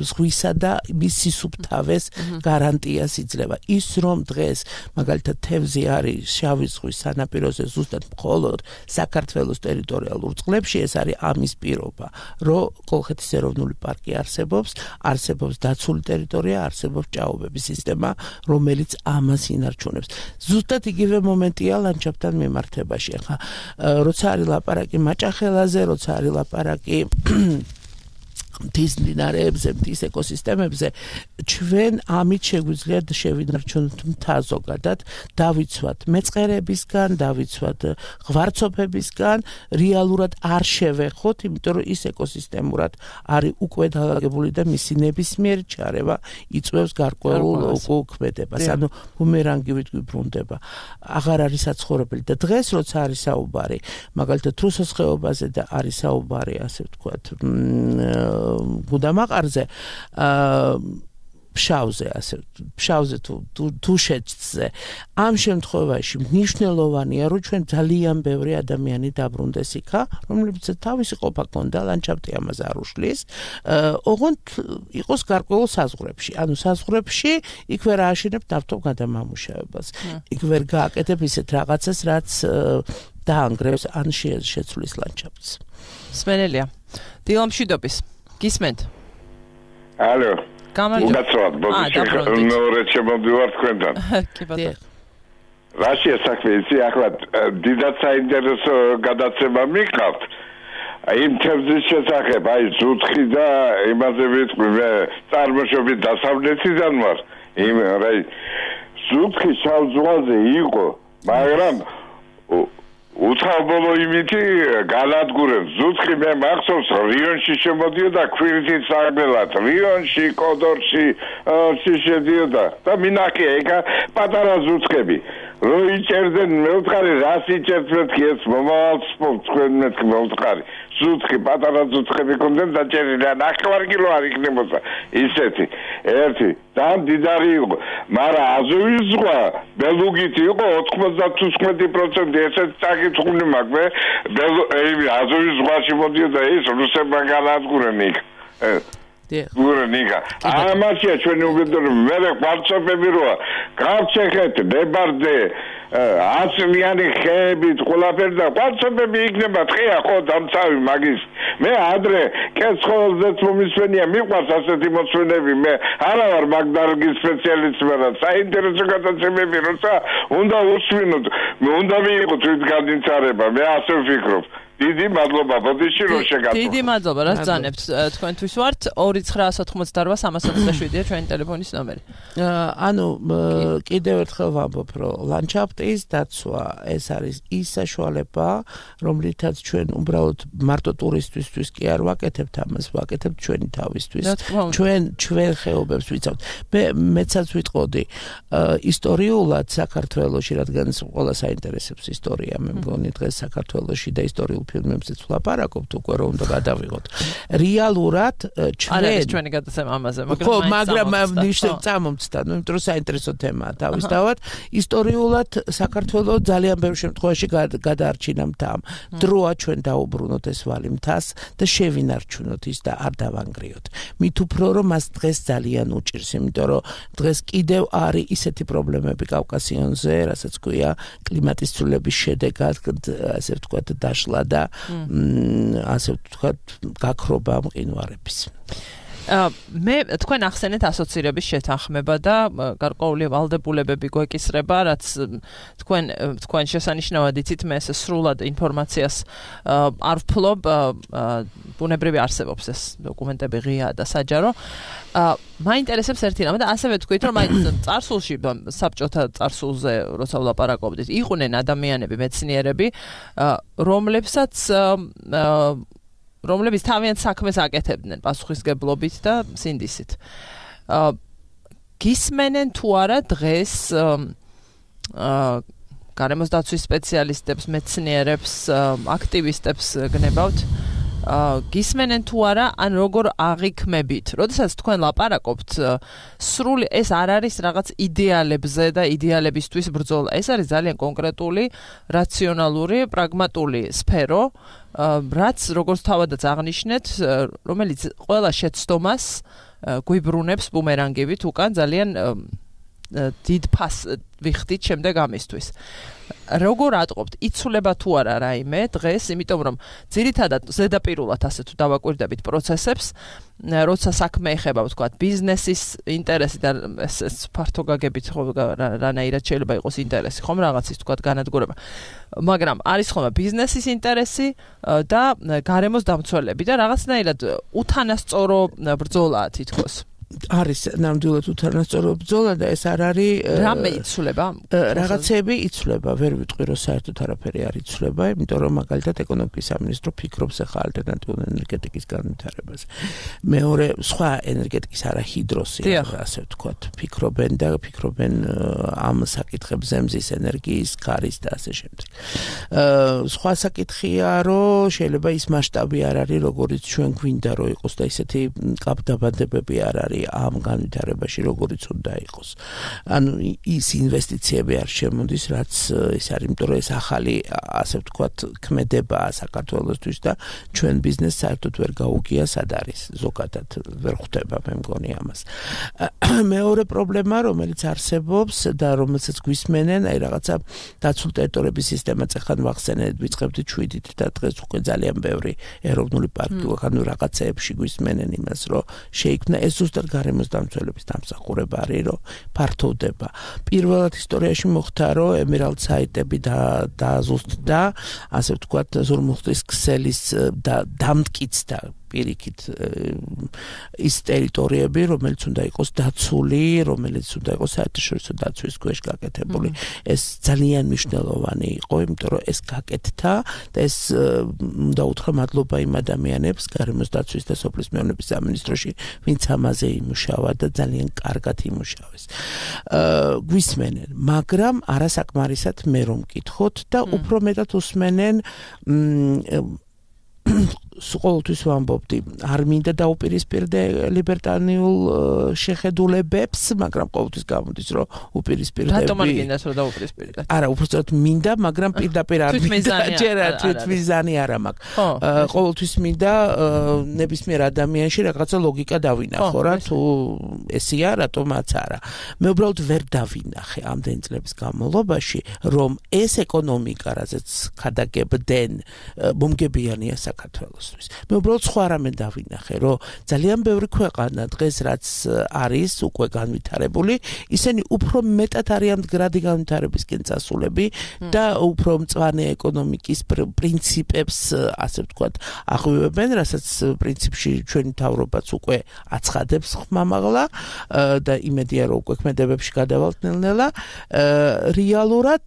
ზღვისა და მის სისუფთავეს გარანტიას იძლევა. ის რომ დღეს მაგალითად თევზი არის შავი ზღვის სანაპიროზე ზუსტად მხოლოდ საქართველოს ტერიტორიალურ წყლებში, ეს არის ამის პირობა, რომ კოლხეთის ეროვნული პარკი არსებობს, არსებობს დაცული ტერიტორია, არსებობს ჭაობების სისტემა, რომელიც ამას ინარჩუნებს. ზუსტად იგივე მომენტია ლანდშაფტთან მიმართებაში. ახლა როცა არის ლაპარაკი მაჭახელაზე, როცა არის ლაპარაკი მთის მდინარეებზე, მთის ეკოსისტემებზე, ჩვენ ამით შეგვიძლია შევინარჩუნოთ მთა ზოგადად, დავიცვათ მეწყერებისგან, დავიცვათ ღვარცოფებისგან, რეალურად არ შევეხოთ, იმიტომ რომ ის ეკოსისტემურად არის უკვე დალაგებული და მისი ნებისმიერი ჩარევა იწვევს გარკვეულ უკუქმედებას. ანუ ბუმერანგივით გვიბრუნდება. აღარ არის საცხოვრებელი და დღეს როცა არის საუბარი, მაგალითად რუსოს ხეობაზე და არის საუბარი, ასე ვთქვათ, გუდამაყარზე, ფშავზე, ასე ფშავზე თუ თუშეთზე. ამ შემთხვევაში მნიშვნელოვანია, რომ ჩვენ ძალიან ბევრი ადამიანი დაბრუნდეს იქა, რომლებიც თავისი ყოფა ქონდა, ლანდშაფტი ამას არ უშლის, ოღონდ იყოს გარკვეულ საზღვრებში. ანუ საზღვრებში იქ ვერ ააშენებ ნავთობ გადამამუშავებას. იქ ვერ გააკეთებ ისეთ რაღაცას, რაც დაანგრევს ან შეცვლის ლანდშაფტს. სმენელია. დილამშვიდობის. გისმენთ? ალო. გამარჯობა. გაცნობ, ბოდიში მეორე შემოდივარ თქვენთან. კი ბატონო. რაშია საქმე ისი, ახლა დიდად საინტერესო გადაცემა მიყავთ. იმ თემის შესახებ, აი ზუთხი და იმაზე ვიტყვი, მე წარმოშობით დასავლეთიდან ვარ. იმ რაი ზუთხი შავ ზღვაზე იყო, მაგრამ უცხობლო იმითი განადგურებს. ზუთხი მე მახსოვს რიონში შემოდიოდა ქვირითის საგველად, რიონში, კოდორში, შედიოდა და მინახია ეგ პატარა ზუთხები. რო იჭერდნენ მეუთხარი, რას იჭერთ მეთქი ეს მომავალ სპორტს თქვენ მეთქი მეუთხარი. ზუთხი პატარა ზუთხები კონდნენ დაჭერილი, ნახევარ კილო არ იქნებოდა ისეთი. ერთი ძალიან დიდარი იყო, მაგრამ აზოვის ზღვა ბელუგით იყო ოთხმოცდათუთხმეტი პროცენტი, ესეც წაკითხული მაქვს. მე აზოვის ზღვაში მოდიოდა ის რუსებმა განადგურენ იქ. გურნიკა. ამაშია ჩვენი უბედურება, მე ყვარცოფები როა, გავჩეხეთ, ნებარდე, აცლიანი ხეებით, ყველაფერი და ყვარცოფები იქნება თხეა ხო დამცავი მაგის. მე ადრე კეცხოველზეც მომისვენია, მიყვარს ასეთი მოსვენები, მე არა ვარ მაგ დარგის სპეციალისტი, მაგრამ საინტერესო გადაცემები, როცა უნდა უსვინოთ, უნდა მიიღოთ თვითგანიცარება, მე ასე ვფიქრობ. დიდი მადლობა ბოდიში რომ შეგატყობთ. დიდი მადლობა რა ძანებთ თქვენთვის ვართ ორი ცხრა ოცდაოთხმოცდაოთხ სამას ოცდაშვიდია ჩვენი ტელეფონის ნომერი. ანუ კიდევ ერთხელ ვამბობ რომ ლანდშაფტის დაცვა ეს არის ის საშუალება რომლითაც ჩვენ უბრალოდ მარტო ტურისტისთვის კი არ ვაკეთებთ ამას ვაკეთებთ ჩვენი თავისთვის ჩვენ ჩვენ ხეობებს ვიცავთ. მე მეცაც ვიტყოდი ისტორიულად საქართველოში რადგან ყველა საინტერესებს ისტორია მე მგონი დღეს საქართველოში და ისტორიულ ფილმებზეც ვლაპარაკობთ უკვე რომ უნდა გადავიღოთ. რეალურად ჩვენ არა ეს ჩვენი გადაცემა ამაზე, მაგრამ ხო, მაგრამ ნიშნავ წამომცდა, ну, იმიტომ რომ საინტერესო თემაა თავისთავად. ისტორიულად საქართველოს ძალიან ბევრ შემთხვევაში გადაარჩინა მთა. დროა ჩვენ დაუბრუნოთ ეს ვალი მთას და შევინარჩუნოთ ის და არ დავანგრიოთ. მით უფრო რომ მას დღეს ძალიან უჭირს, იმიტომ რომ დღეს კიდევ არის ისეთი პრობლემები კავკასიონზე, რასაც ქვია კლიმატის ცვლილების შედეგად, ასე ვთქვათ, დაშლა და ასე ვთქვათ, გაქრობა მყინვარების. მე თქვენ ახსენეთ ასოცირების შეთანხმება და გარკვეული ვალდებულებები გვეკისრება, რაც თქვენ თქვენ შესანიშნავად იცით, მე ეს სრულად ინფორმაციას არ ვფლობ, ბუნებრივი არსებობს ეს დოკუმენტები ღიაა და საჯარო. მაინტერესებს ერთი რამე და ასევე თქვით, რომ აი წარსულში საბჭოთა წარსულზე როცა ვლაპარაკობდით, იყვნენ ადამიანები, მეცნიერები, რომლებსაც რომლებიც თავიანთ საქმეს აკეთებდნენ პასუხისგებლობით და სინდისით. გისმენენ თუ არა დღეს გარემოს დაცვის სპეციალისტებს, მეცნიერებს, აქტივისტებს გნებავთ, გისმენენ თუ არა, ან როგორ აღიქმებით. როდესაც თქვენ ლაპარაკობთ, სრული ეს არ არის რაღაც იდეალებზე და იდეალებისთვის ბრძოლა. ეს არის ძალიან კონკრეტული, რაციონალური, პრაგმატული სფერო, რაც როგორც თავადაც აღნიშნეთ, რომელიც ყველა შეცდომას გვიბრუნებს ბუმერანგივით უკან ძალიან დიდ ფას ვიხდით შემდეგ ამისთვის. როგორ ატყობთ, იცვლება თუ არა რაიმე დღეს, იმიტომ რომ ძირითადად ზედაპირულად ასე თუ დავაკვირდებით პროცესებს, როცა საქმე ეხება, ვთქვათ, ბიზნესის ინტერესი და ეს ფართო გაგებით ხო რანაირად შეიძლება იყოს ინტერესი, ხომ რაღაცის ვთქვათ განადგურება. მაგრამ არის ხოლმე ბიზნესის ინტერესი და გარემოს დამცველები და რაღაცნაირად უთანასწორო ბრძოლაა თითქოს. არის ნამდვილად უთანასწორო ბრძოლა და ეს არ არის რამე იცვლება? რაღაცები იცვლება, ვერ ვიტყვი რომ საერთოდ არაფერი არ იცვლება, იმიტომ რომ მაგალითად ეკონომიკის სამინისტრო ფიქრობს ახლა ალტერნატიული ენერგეტიკის განვითარებას. მეორე სხვა ენერგეტიკის არა ჰიდროსი, ასე ვთქვათ, ფიქრობენ და ფიქრობენ ამ საკითხებზე, მზის ენერგიის, ქარის და ასე შემდეგ. სხვა საკითხია, რომ შეიძლება ის მასშტაბი არ არის, როგორიც ჩვენ გვინდა რომ იყოს და ისეთი კაპდაბანდებები არ არის ამ განვითარებაში, როგორიც უნდა იყოს. ანუ ის ინვესტიციები არ შემოდის, რაც ის არის, იმიტომ რომ ეს ახალი, ასე ვთქვათ, ქმედებაა საქართველოსთვის და ჩვენ ბიზნესს საერთოდ ვერ გაუგია სად არის, ზოგადად ვერ ხვდება, მე მგონი ამას. მეორე პრობლემა, რომელიც არსებობს და რომელსაც გვისმენენ, აი რაღაცა დაცულ ტერიტორიების სისტემაც ახლა ვახსენეთ, ვიწყებდით შვიდით და დღეს უკვე ძალიან ბევრი ეროვნული პარკი, ანუ რაღაცეებში გვისმენენ იმას, რომ შეიქმნა ეს ზუსტად გარემოს დამცველების დამსახურება არის, რომ ფართოვდება. პირველად ისტორიაში მოხდა, რომ ემერალდ საიტები და დაზუსტდა, ასე ვთქვათ, ზურმუხტის ქსელის დამტკიცდა პირიქით ის ტერიტორიები, რომელიც უნდა იყოს დაცული, რომელიც უნდა იყოს საერთაშორისო დაცვის ქვეშ გაკეთებული. ეს ძალიან მნიშვნელოვანი იყო, იმიტომ რომ ეს გაკეთდა და ეს უნდა უთხრა მადლობა იმ ადამიანებს გარემოს დაცვის და სოფლის მეურნეობის სამინისტროში, ვინც ამაზე იმუშავა და ძალიან კარგად იმუშავეს. გვისმენენ, მაგრამ არასაკმარისად მე რომ მკითხოთ და უფრო მეტად უსმენენ ყოველთვის ვამბობდი, არ მინდა დაუპირისპირდე ლიბერტანიულ შეხედულებებს, მაგრამ ყოველთვის გამოდის, რომ უპირისპირდები. რატომ არ გინდათ რომ დაუპირისპირდეთ? არა, უბრალოდ მინდა, მაგრამ პირდაპირ არ მინდა. ჯერ თვითმიზანი არა მაქვს. ყოველთვის მინდა ნებისმიერ ადამიანში რაღაცა ლოგიკა დავინახო რა, თუ ესია, რატომაც არა. მე უბრალოდ ვერ დავინახე ამდენი წლების განმავლობაში, რომ ეს ეკონომიკა, რაზეც ხადაგებდნენ, მომგებიანია საქართველოს. მე უბრალოდ სხვა რამე დავინახე, რომ ძალიან ბევრი ქვეყანა დღეს რაც არის უკვე განვითარებული, ისინი უფრო მეტად არიან მდგრადი განვითარებისკენ წასულები და უფრო მწვანე ეკონომიკის პრინციპებს, ასე ვთქვათ, აღვივებენ, რასაც პრინციპში ჩვენი მთავრობაც უკვე აცხადებს ხმამაღლა და იმედია, რომ უკვე ქმედებებში გადავალთ ნელ-ნელა. რეალურად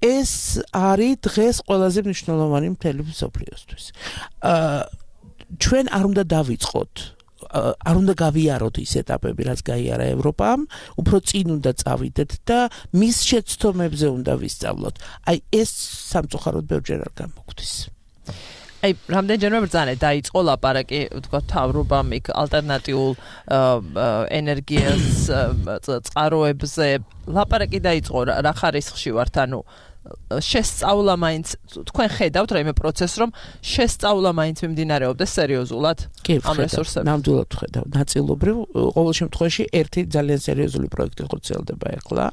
ეს არის დღეს ყველაზე მნიშვნელოვანი მთელი მსოფლიოსთვის. ჩვენ არ უნდა დავიწყოთ, არ უნდა გავიაროთ ის ეტაპები, რაც გაიარა ევროპამ, უფრო წინ უნდა წავიდეთ და მის შეცდომებზე უნდა ვისწავლოთ. აი ეს სამწუხაროდ ბევრჯერ არ გამოგვდის. აი, რამდენჯერმე ბრძანა დაიწყო ლაპარაკი, თქვა თავრობამ იქ ალტერნატიულ ენერგიას წყაროებზე ლაპარაკი დაიწყო რა ხარისხში ვართ, ანუ შესწავლა მაინც თქვენ ხედავთ რაიმე პროცესს რომ შესწავლა მაინც მიმდინარეობდეს სერიოზულად ამ რესურსებზე. ნამდვილად ხედავ. ნაწილობრივ ყოველ შემთხვევაში ერთი ძალიან სერიოზული პროექტი ხორციელდება ახლა,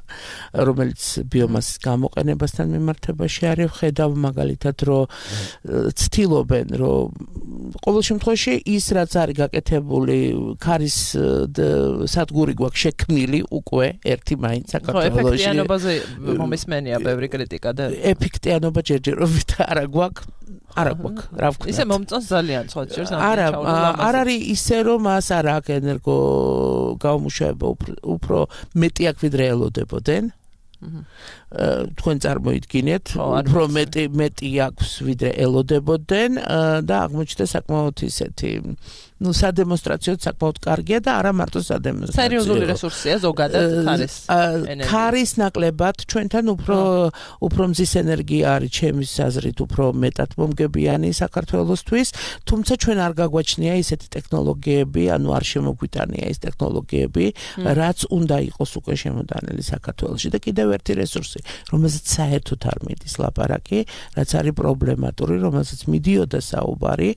რომელიც ბიომასის გამოყენებასთან მიმართებაში არის. ხედავ მაგალითად რომ ცდილობენ რომ ყოველ შემთხვევაში ის რაც არის გაკეთებული ქარის სადგური გვაქვს შექმნილი უკვე ერთი მაინც საქართველოში. ეფექტიანობაზე მომისმენია ბევრი კრიტიკა. ეფექტიანობა ჯერჯერობით არა გვაქვს არა გვაქვს რა ვქნა ისე მომწონს ძალიან სხვა ჯერს არა არ არის ისე რომ მას არ აქვს ენერგო გამომუშავება უფრო მეტი აქვს ვიდრე ელოდებოდნენ თქვენ წარმოიდგინეთ უფრო მეტი მეტი აქვს ვიდრე ელოდებოდნენ და აღმოჩნდა საკმაოდ ისეთი ну სადემონსტრაციოდ საკმაოდ კარგია და არა მარტო სადემონსტრაციო. სერიოზული რესურსია ზოგადად ქარის ენერგია. ქარის ნაკლებად ჩვენთან უფრო უფრო მზის ენერგია არის ჩემის აზრით უფრო მეტად მომგებიანი საქართველოსთვის, თუმცა ჩვენ არ გაგვაჩნია ისეთი ტექნოლოგიები, ანუ არ შემოგვიტანია ეს ტექნოლოგიები, რაც უნდა იყოს უკვე შემოდანილი საქართველოში და კიდევ ერთი რესურსი, რომელზეც საერთოდ არ მიდის ლაპარაკი, რაც არის პრობლემატური, რომელზეც მიდიოდა საუბარი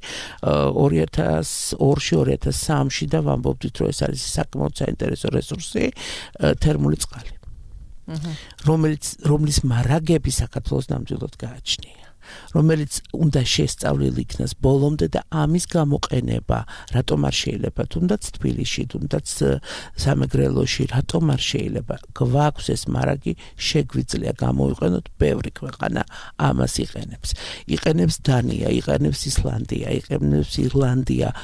ორი ათას ორში ორი ათას სამში და ვამბობდით რომ ეს არის საკმაოდ საინტერესო რესურსი თერმული წყალი. რომელიც რომლის მარაგები საქართველოს ნამდვილად გააჩნია. რომელიც უნდა შესწავლილი იქნას ბოლომდე და ამის გამოყენება რატომ არ შეიძლება თუნდაც თბილისში თუნდაც სამეგრელოში რატომ არ შეიძლება გვაქვს ეს მარაგი შეგვიძლია გამოვიყენოთ ბევრი ქვეყანა ამას იყენებს იყენებს დანია იყენებს ისლანდია იყენებს ირლანდია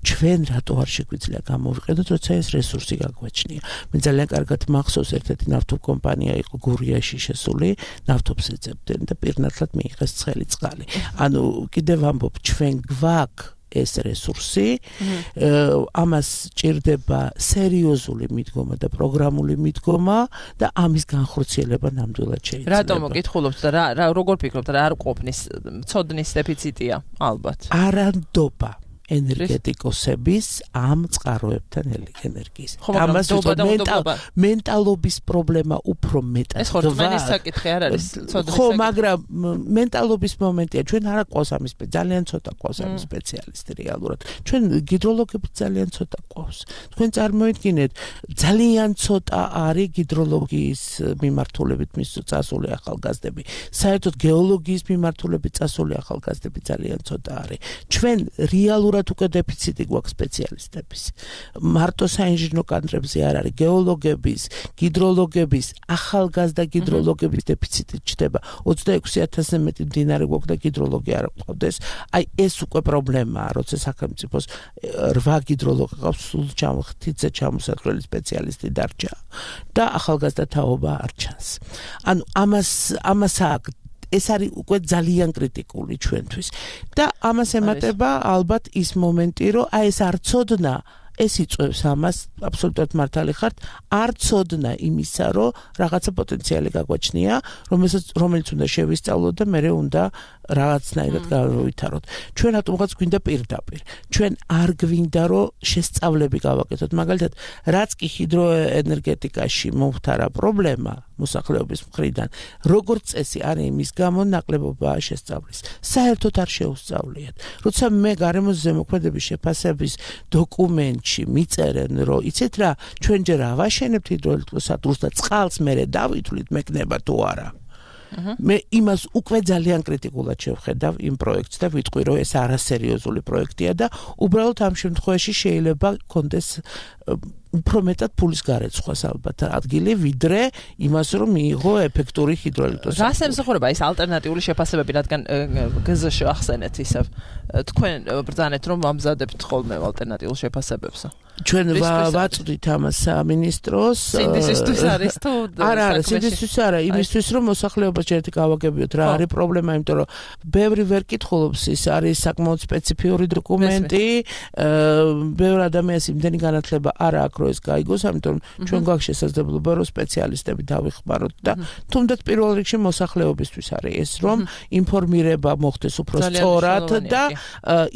ჩვენ რატო არ შეგვიძლია გამოვიყენოთ, როცა ეს რესურსი გაგვაჩნია. მე ძალიან კარგად მახსოვს ერთ-ერთი ნავთობკომპანია იყო გურიაში შესული, ნავთობს ეძებდნენ და პირნათლად მიიღეს ცხელი წყალი. ანუ კიდევ ვამბობ, ჩვენ გვაქვს ეს რესურსი, ამას ჭირდება სერიოზული მიდგომა და პროგრამული მიდგომა და ამის განხორციელება ნამდვილად შეიძლება. რატომ მოგითხულობთ და რა როგორ ფიქრობთ, რა არ ყოფნის ცოდნის დეფიციტია ალბათ. არანდობა ენერგეტიკოსების ამ წყაროებთან ენერგიის. ამას მენტალობის პრობლემა უფრო მეტად. ეს ხო რწმენის საკითხი არ არის, ცოდნის. ხო, მაგრამ მენტალობის მომენტია. ჩვენ არა ყავს ამის ძალიან ცოტა ყავს ამის სპეციალისტი რეალურად. ჩვენ გიდროლოგები ძალიან ცოტა ყავს. თქვენ წარმოიდგინეთ, ძალიან ცოტა არის გიდროლოგიის მიმართულებით წასული ახალგაზრდები. საერთოდ გეოლოგიის მიმართულებით წასული ახალგაზრდები ძალიან ცოტა არის. ჩვენ რეალურად უკვე დეფიციტი გვაქვს სპეციალისტების. მარტო საინჟინრო კადრებზე არ არის გეოლოგების, გიდროლოგების, ახალგაზრდა გიდროლოგების დეფიციტი ჩდება. ოცდაექვსი ათასზე მეტი მდინარე გვაქვს და გიდროლოგი არ გვყავდეს. აი ეს უკვე პრობლემაა, როცა სახელმწიფოს რვა გიდროლოგი ყავს, სულ ჩამოხტიძე ჩამოსაჭრელი სპეციალისტი დარჩა და ახალგაზრდა თაობა არ ჩანს. ანუ ამას ამას აქ ეს არის უკვე ძალიან კრიტიკული ჩვენთვის და ამას ემატება ალბათ ის მომენტი რომ აი ეს არ ცოდნა ეს იწვევს ამას აბსოლუტურად მართალი ხართ არ ცოდნა იმისა რომ რაღაცა პოტენციალი გაგვაჩნია რომელსაც რომელიც უნდა შევისწავლოთ და მე უნდა რაღაცნაირად გავვითაროთ ჩვენ რატომღაც გვინდა პირდაპირ ჩვენ არ გვინდა რომ შესწავლები გავაკეთოთ მაგალითად რაც კი ჰიდროენერგეტიკაში მომხდარა პრობლემა მოსახლეობის მხრიდან როგორც წესი არის იმის გამო ნაკლებობაა შესწავლის საერთოდ არ შეუსწავლიათ როცა მე გარემოს ზემოქმედების შეფასების დოკუმენტში მიწერენ რომ იცით რა ჩვენ ჯერ ავაშენებთ ჰიდროელექტროსადგურს და წყალს მე დავითვლით მეკნება თუ არა მე იმას უკვე ძალიან კრიტიკულად შევხედავ იმ პროექტს და ვიტყვი რომ ეს არასერიოზული პროექტია და უბრალოდ ამ შემთხვევაში შეიძლება კონდეს უფრო მეტად ფულის გარეცხვას ალბათ ადგილი ვიდრე იმას რომ მიიღო ეფექტური ჰიდროელექტროსადგური. რას ემსახურება ეს ალტერნატიული შეფასებები, რადგან გზ-ში ახსენეთ ისევ თქვენ ბრძანეთ რომ ამზადებთ ხოლმე ალტერნატიულ შეფასებებს. ჩვენ ვაწვდით ამას სამინისტროს სინდისისთვის არის თუ არა არა სინდისთვის არა იმისთვის რომ მოსახლეობას ჯერ გავაგებიოთ რა არის პრობლემა იმიტომ რომ ბევრი ვერ კითხულობს ის არის საკმაოდ სპეციფიური დოკუმენტი ბევრი ადამიანს იმდენი განათლება არ აქვს რომ ეს გაიგოს ამიტომ ჩვენ გვაქვს შესაძლებლობა რომ სპეციალისტები დავიხმაროთ და თუნდაც პირველ რიგში მოსახლეობისთვის არის ეს რომ ინფორმირება მოხდეს უფრო სწორად და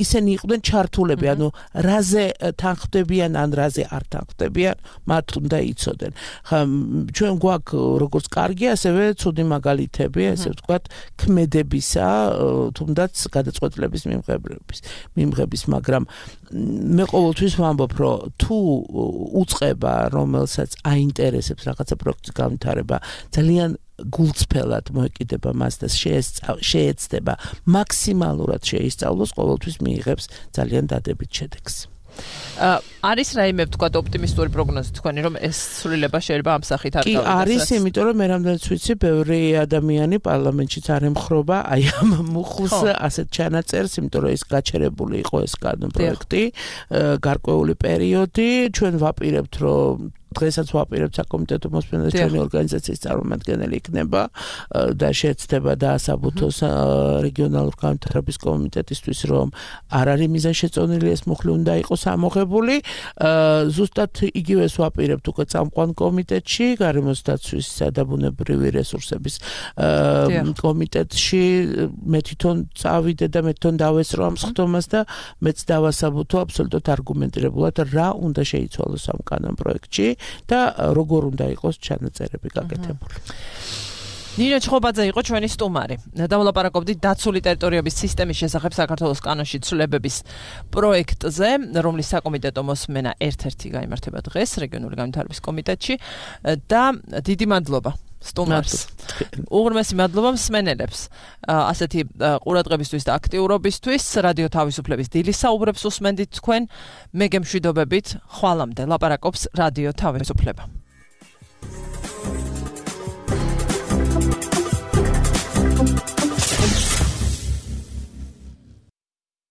ისინი იყვნენ ჩართულები ანუ რაზე თანხმდებიან ან რაზე არ თანხმდებიან მათ უნდა იცოდნენ ხა ჩვენ გვაქვს როგორც კარგი ასევე ცუდი მაგალითები ესე ვთქვათ ქმედებისა თუნდაც გადაწყვეტილების მიმღების მიმღების მაგრამ მე ყოველთვის ვამბობ რომ თუ უწყება რომელსაც აინტერესებს რაღაცა პროექტის განვითარება ძალიან გულწრფელად მოეკიდება მას და შეეცდება მაქსიმალურად შეისწავლოს ყოველთვის მიიღებს ძალიან დადებით შედეგს არის რაიმე ვთქვათ ოპტიმისტური პროგნოზი თქვენი რომ ეს სრულება შეიძლება ამ სახით არ გავიდეს? კი, არის, იმიტომ რომ მე რამდენიც ვიცი, ბევრი ადამიანი პარლამენტშიც არ ემხრობა აი ამ მუხლს ასეთ ჩანაწერს, იმიტომ რომ ეს გაჩერებული იყო ეს პროექტი, გარკვეული პერიოდი, ჩვენ ვაპირებთ რომ დღესაც ვაპირებთ საკომიტეტო მოსმენას ჩვენი ორგანიზაციის წარმომადგენელი იქნება და შეეცდება დაასაბუთოს რეგიონალურ განვითარების კომიტეტისთვის რომ არ არის მიზანშეწონილი ეს მუხლი უნდა იყოს ამოღებული ზუსტად იგივეს ვაპირებთ უკვე წამყვან კომიტეტში გარემოს დაცვისა და ბუნებრივი რესურსების კომიტეტში მე თვითონ წავიდე და მე თვითონ დავესწრო ამ სხდომას და მეც დავასაბუთო აბსოლუტურად არგუმენტირებულად რა უნდა შეიცვალოს ამ კანონ პროექტში და როგორ უნდა იყოს ჩანაწერები გაკეთებული. ნინო ჩხობაძე იყო ჩვენი სტუმარი. დავლაპარაკობდით დაცული ტერიტორიების სისტემის შესახებ საქართველოს კანონში ცვლილებების პროექტზე, რომლის საკომიტეტო მოსმენა ერთ-ერთი გაიმართება დღეს რეგიონული განვითარების კომიტეტში და დიდი მადლობა სტუმარს. უღრმესი მადლობა მსმენელებს. ასეთი ყურადღებისთვის და აქტიურობისთვის რადიო თავისუფლების დილის საუბრებს უსმენდით თქვენ. მე გემშვიდობებით, ხვალამდე ლაპარაკობს რადიო თავისუფლება.